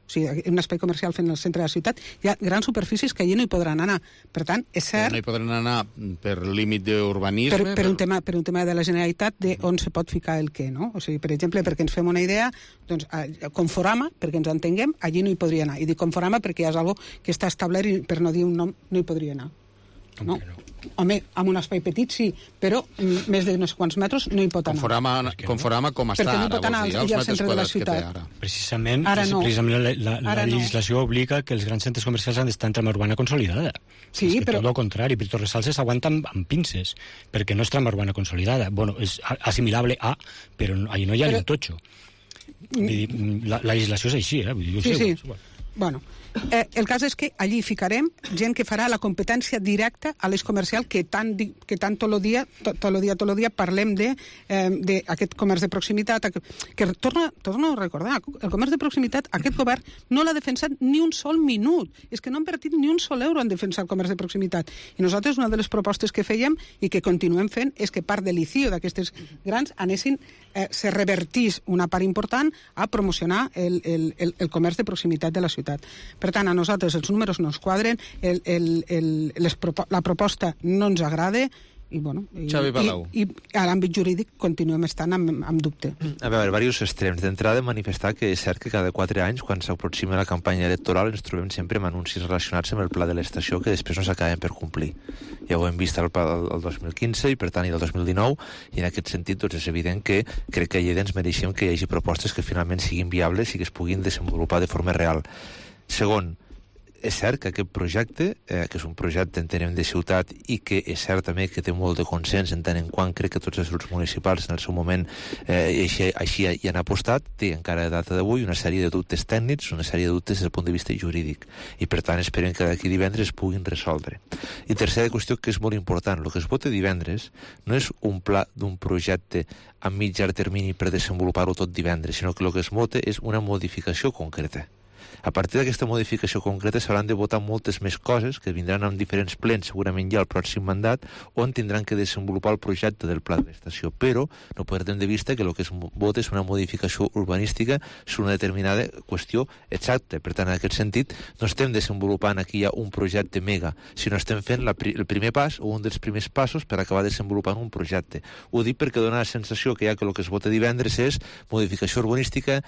O sigui, un espai comercial fent el centre de la ciutat, hi ha grans superfícies que allí no hi podran anar. Per tant, és cert... No hi podran anar per límit d'urbanisme... Per un tema de la Generalitat de on se pot ficar el què, no? O sigui, per exemple, perquè ens fem una idea, doncs, Conforama, perquè ens entenguem, allí no hi podria anar. I dic Conforama perquè ja és algo que està establert i, per no dir un nom, no hi podria anar. No? Home, amb un espai petit sí, però més de no sé quants metres no hi pot anar. Conforama com està ara, no pot anar al centre de la ciutat. Precisament la Ara legislació obliga que els grans centres comercials han d'estar en trama urbana consolidada. Sí, però... Tot el contrari, per Torres Salses s'aguanta amb pinces, perquè no és trama urbana consolidada. Bueno, és assimilable a, però allà no hi ha ni un totxo. La legislació és així, Sí. Bueno, el cas és que allí ficarem gent que farà la competència directa a l'eix comercial que tant tot el dia parlem d'aquest comerç de proximitat, que torno a recordar, el comerç de proximitat, aquest govern no l'ha defensat ni un sol minut, és que no han invertit ni un sol euro en defensar el comerç de proximitat, i nosaltres una de les propostes que fèiem i que continuem fent és que part de l'ICIO d'aquestes grans se revertís una part important a promocionar el comerç de proximitat de la ciutat. Per Per tant, a nosaltres els números no ens quadren, la proposta no ens agrada, i, bueno, Xavi Palau. I a l'àmbit jurídic continuem estant amb dubte. A veure, diversos extrems. D'entrada, manifestar que és cert que cada 4 anys, quan s'aproxima la campanya electoral, ens trobem sempre amb anuncis relacionats amb el pla de l'estació que després no s'acaben per complir. Ja ho hem vist el 2015 i, per tant, i el 2019, i en aquest sentit doncs, és evident que crec que a Lleida ens mereixem que hi hagi propostes que finalment siguin viables i que es puguin desenvolupar de forma real. Segon, és cert que aquest projecte, que és un projecte, entenem, de ciutat i que és cert també que té molt de consens en tant en quant crec que tots els grups municipals en el seu moment així hi han apostat, té encara a data d'avui una sèrie de dubtes tècnics, una sèrie de dubtes des del punt de vista jurídic i per tant esperem que d'aquí divendres es puguin resoldre. I tercera qüestió que és molt important, el que es vota divendres no és un pla d'un projecte a mitjà termini per desenvolupar-ho tot divendres, sinó que el que es vota és una modificació concreta. A partir d'aquesta modificació concreta s'hauran de votar moltes més coses que vindran en diferents plens segurament ja al pròxim mandat on tindran que desenvolupar el projecte del pla de l'estació, però no perdem de vista que el que es vota és una modificació urbanística sobre una determinada qüestió exacta. Per tant, en aquest sentit, no estem desenvolupant aquí ja un projecte mega, sinó estem fent el primer pas o un dels primers passos per acabar desenvolupant un projecte. Ho dic perquè dona la sensació que ja que el que es vota divendres és modificació urbanística,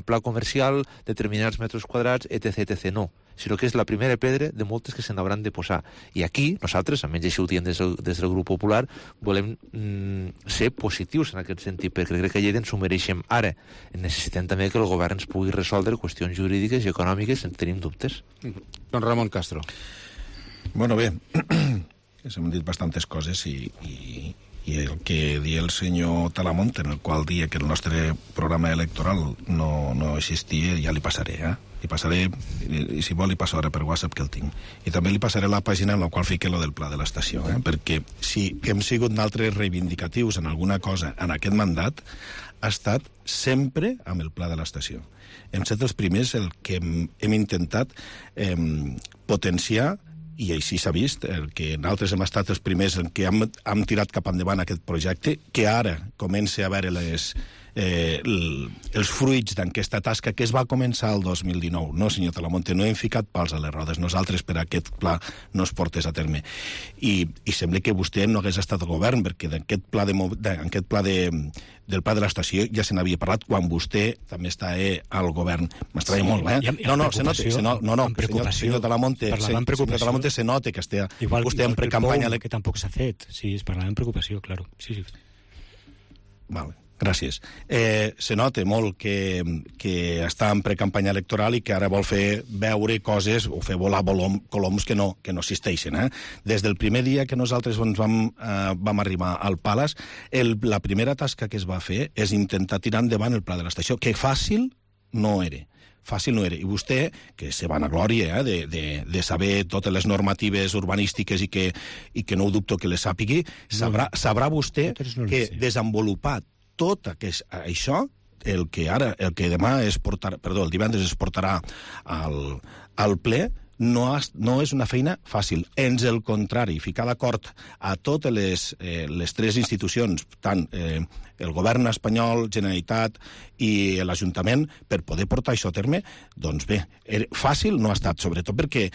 pla comercial, determinats metres quadrats, etc. No, sinó que és la primera pedra de moltes que se n'hauran de posar. I aquí, nosaltres, almenys així ho diem des del grup popular, volem ser positius en aquest sentit, perquè crec que a Lleida ens ho mereixem ara. Necessitem també que el govern ens pugui resoldre qüestions jurídiques i econòmiques en tenim dubtes. Don Ramon Castro. Bueno, bé, s'han dit bastantes coses i el que dia el senyor Talamont, en el qual dia que el nostre programa electoral no existia, ja li passaré, Li passaré, i si vol li passo ara per WhatsApp que el tinc. I també li passaré la pàgina en la qual fique lo del pla de l'estació, perquè si hem sigut d'altres reivindicatius en alguna cosa en aquest mandat, ha estat sempre amb el pla de l'estació. Hem estat els primers el que hem intentat potenciar, i així s'ha vist, que nosaltres hem estat els primers en què hem tirat cap endavant aquest projecte, que ara comença a veure els fruits d'aquesta tasca que es va començar el 2019. No, senyor Talamonte, no hem ficat pals a les rodes. Nosaltres per aquest pla no es portés a terme. I sembla que vostè no hagués estat al govern, perquè d'aquest pla del pla de l'estació ja se n'havia parlat quan vostè també està al govern. M'estranya molt, senyor Talamonte, se nota que està vostè en precampanya. Que tampoc s'ha fet. Sí, es parlava en preocupació, claro. Sí. Vale. Gràcies. Se nota molt que està en precampanya electoral i que ara vol fer veure coses o fer volar coloms que no existeixen. Des del primer dia que nosaltres vam arribar al Palace, la primera tasca que es va fer és intentar tirar endavant el pla de l'estació, que fàcil no era. Fàcil no era. I vostè, que se vanaglòria de saber totes les normatives urbanístiques i que no ho dubto que les sàpigui, sabrà vostè que desenvolupat tot això, el que demà el divendres es portarà al ple, no és una feina fàcil. Ans el contrari, ficar d'acord a totes les tres institucions, tant el govern espanyol, Generalitat i l'Ajuntament, per poder portar això a terme, doncs bé, fàcil no ha estat, sobretot perquè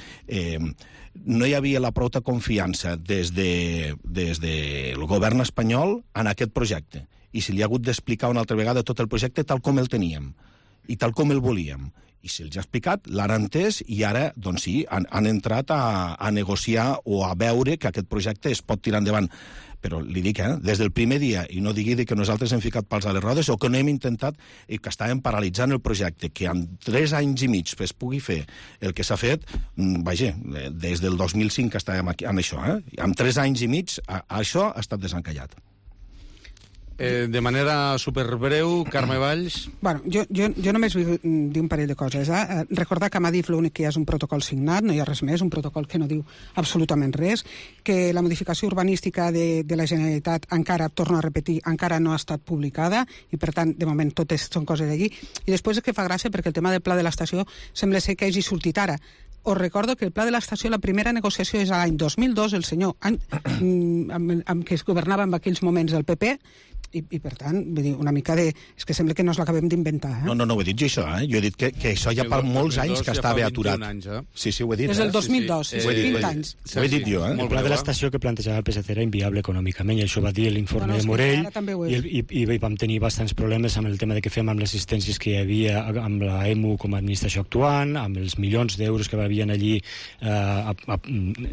no hi havia la prou confiança des del govern espanyol en aquest projecte. I se li ha hagut d'explicar una altra vegada tot el projecte tal com el teníem i tal com el volíem. I se'ls ha explicat, l'han entès i ara, doncs sí, han entrat a negociar o a veure que aquest projecte es pot tirar endavant. Però li dic, des del primer dia, i no digui que nosaltres hem ficat pals a les rodes o que no hem intentat i que estàvem paralitzant el projecte, que en 3 anys i mig es pugui fer el que s'ha fet, vaja, des del 2005 que estàvem aquí en això, en 3 anys i mig això ha estat desencallat. De manera superbreu, Carme Valls. Bueno, jo només vull dir un parell de coses. Recordar que a Madrid l'únic que hi ha és un protocol signat, no hi ha res més, un protocol que no diu absolutament res, que la modificació urbanística de la Generalitat encara, torno a repetir, encara no ha estat publicada i per tant, de moment, totes són coses d'allí. I després és que fa gràcia perquè el tema del pla de l'estació sembla ser que hagi sortit ara. Us recordo que el pla de l'estació, la primera negociació és a l'any 2002, el senyor amb què es governava en aquells moments el PP, i per tant, vull dir, una mica de... És que sembla que no ens l'acabem d'inventar, No ho he dit jo, això, Jo he dit que això ja fa molts anys que estava aturat. Sí, ho he dit. Des del 2002, 20 anys. Ho he dit jo, El pla de l'estació que plantejava el PSC era inviable econòmicament, i això va dir l'informe de Morell, i vam tenir bastants problemes amb el tema de què fem amb les assistències que hi havia amb la EMU com a administració actuant, amb els milions d'euros que havien allí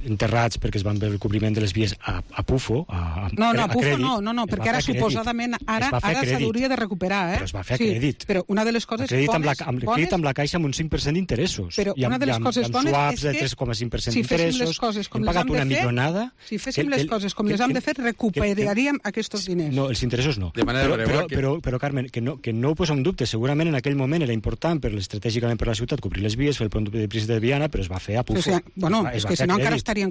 enterrats perquè es van veure el cobriment de les vies a PUFO, a PUFO no, perquè ara suposadament ara s'hauria de recuperar, Però es va fer a crèdit. Però una de les coses bones... Crèdit amb la Caixa amb un 5% d'interessos. Però una de les coses bones és que... de 3,5% d'interessos, hem pagat una millonada... Si féssim les coses com les hem de fer, recuperaríem aquests diners. No, els interessos no. Però Carmen, que no ho posa en dubte. Segurament en aquell moment era important estratègicament per la ciutat cobrir les vies, fer el pont de Príncipe de Viana, però es va fer a PUFO. És que si no encara estarien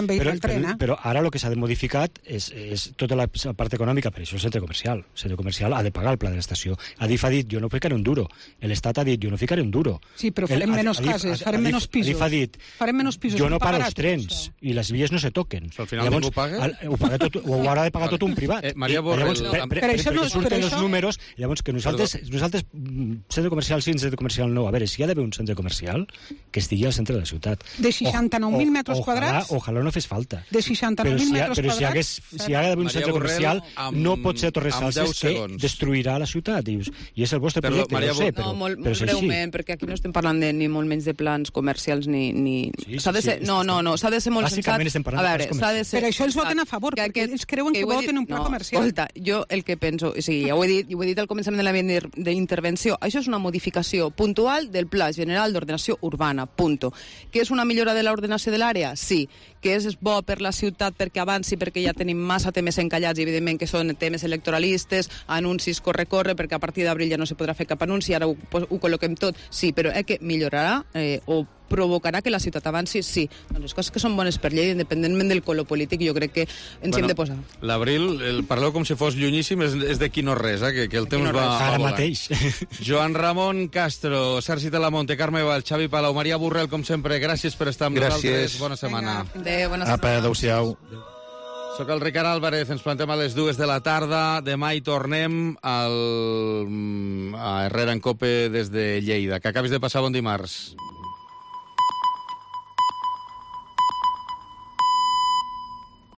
veient el tren, Però ara el que s'ha modificat és tota la part econòmica, per això el centre comercial. El centre comercial ha de pagar el pla de l'estació. Adif ha dit, jo no ficaré un duro. L'Estat ha dit, jo no ficaré un duro. Sí, però farem menys cases, farem menys pisos. Adif ha dit, jo no paro els trens i les vies no se toquen. Al final ningú paga? Ho haurà de pagar tot un privat. Maria Borrell... Perquè surten els números, llavors que nosaltres centre comercial sí, centre comercial no. A veure, si hi ha d'haver un centre comercial que estigui al centre de la ciutat. De 69.000 metres quadrats? Ojalà no fes falta. De 69.000 metres quadrats? Però si hi ha d'haver un centre comercial, no pot ser Torres Salses que destruirà la ciutat. I és el vostre projecte, no sé, però molt és així. breument, perquè aquí no estem parlant ni molt menys de plans comercials ni... S'ha de ser... No, s'ha de ser molt sensat. Bàsicament estem parlant de plans comercials. Per això ells voten a favor, perquè ells creuen que voten un pla comercial. Escolta, jo el que penso... O sigui, ja ho he dit al començament de la meva intervenció, això és una modificació puntual del Pla General d'Ordenació Urbana, punto. Que és una millora de l'ordenació de l'àrea? Sí. Que és bo per la ciutat perquè avanci, perquè ja tenim massa temes encallats, i evidentment que són temes electoralistes, anuncis corre-corre, perquè a partir d'abril ja no se podrà fer cap anunci, ara ho col·loquem tot, sí, però que millorarà o provocarà que la ciutat avanci, sí. Doncs les coses que són bones per Lleida, independentment del color polític, jo crec que ens hem de posar. L'Abril, parleu com si fos llunyíssim, és d'aquí no res, que el temps va ara mateix. Joan Ramon Castro, Sergi Talamonte, Carme Vall, Xavi Palau, Maria Borrell, com sempre, gràcies per estar amb nosaltres. Bona setmana. Adéu, bona setmana. Adéu-siau. Soc el Ricard Álvarez, ens plantem a les 2 de la tarda. Demà hi tornem a Herrera en Cope des de Lleida. Que acabis de passar bon dimarts.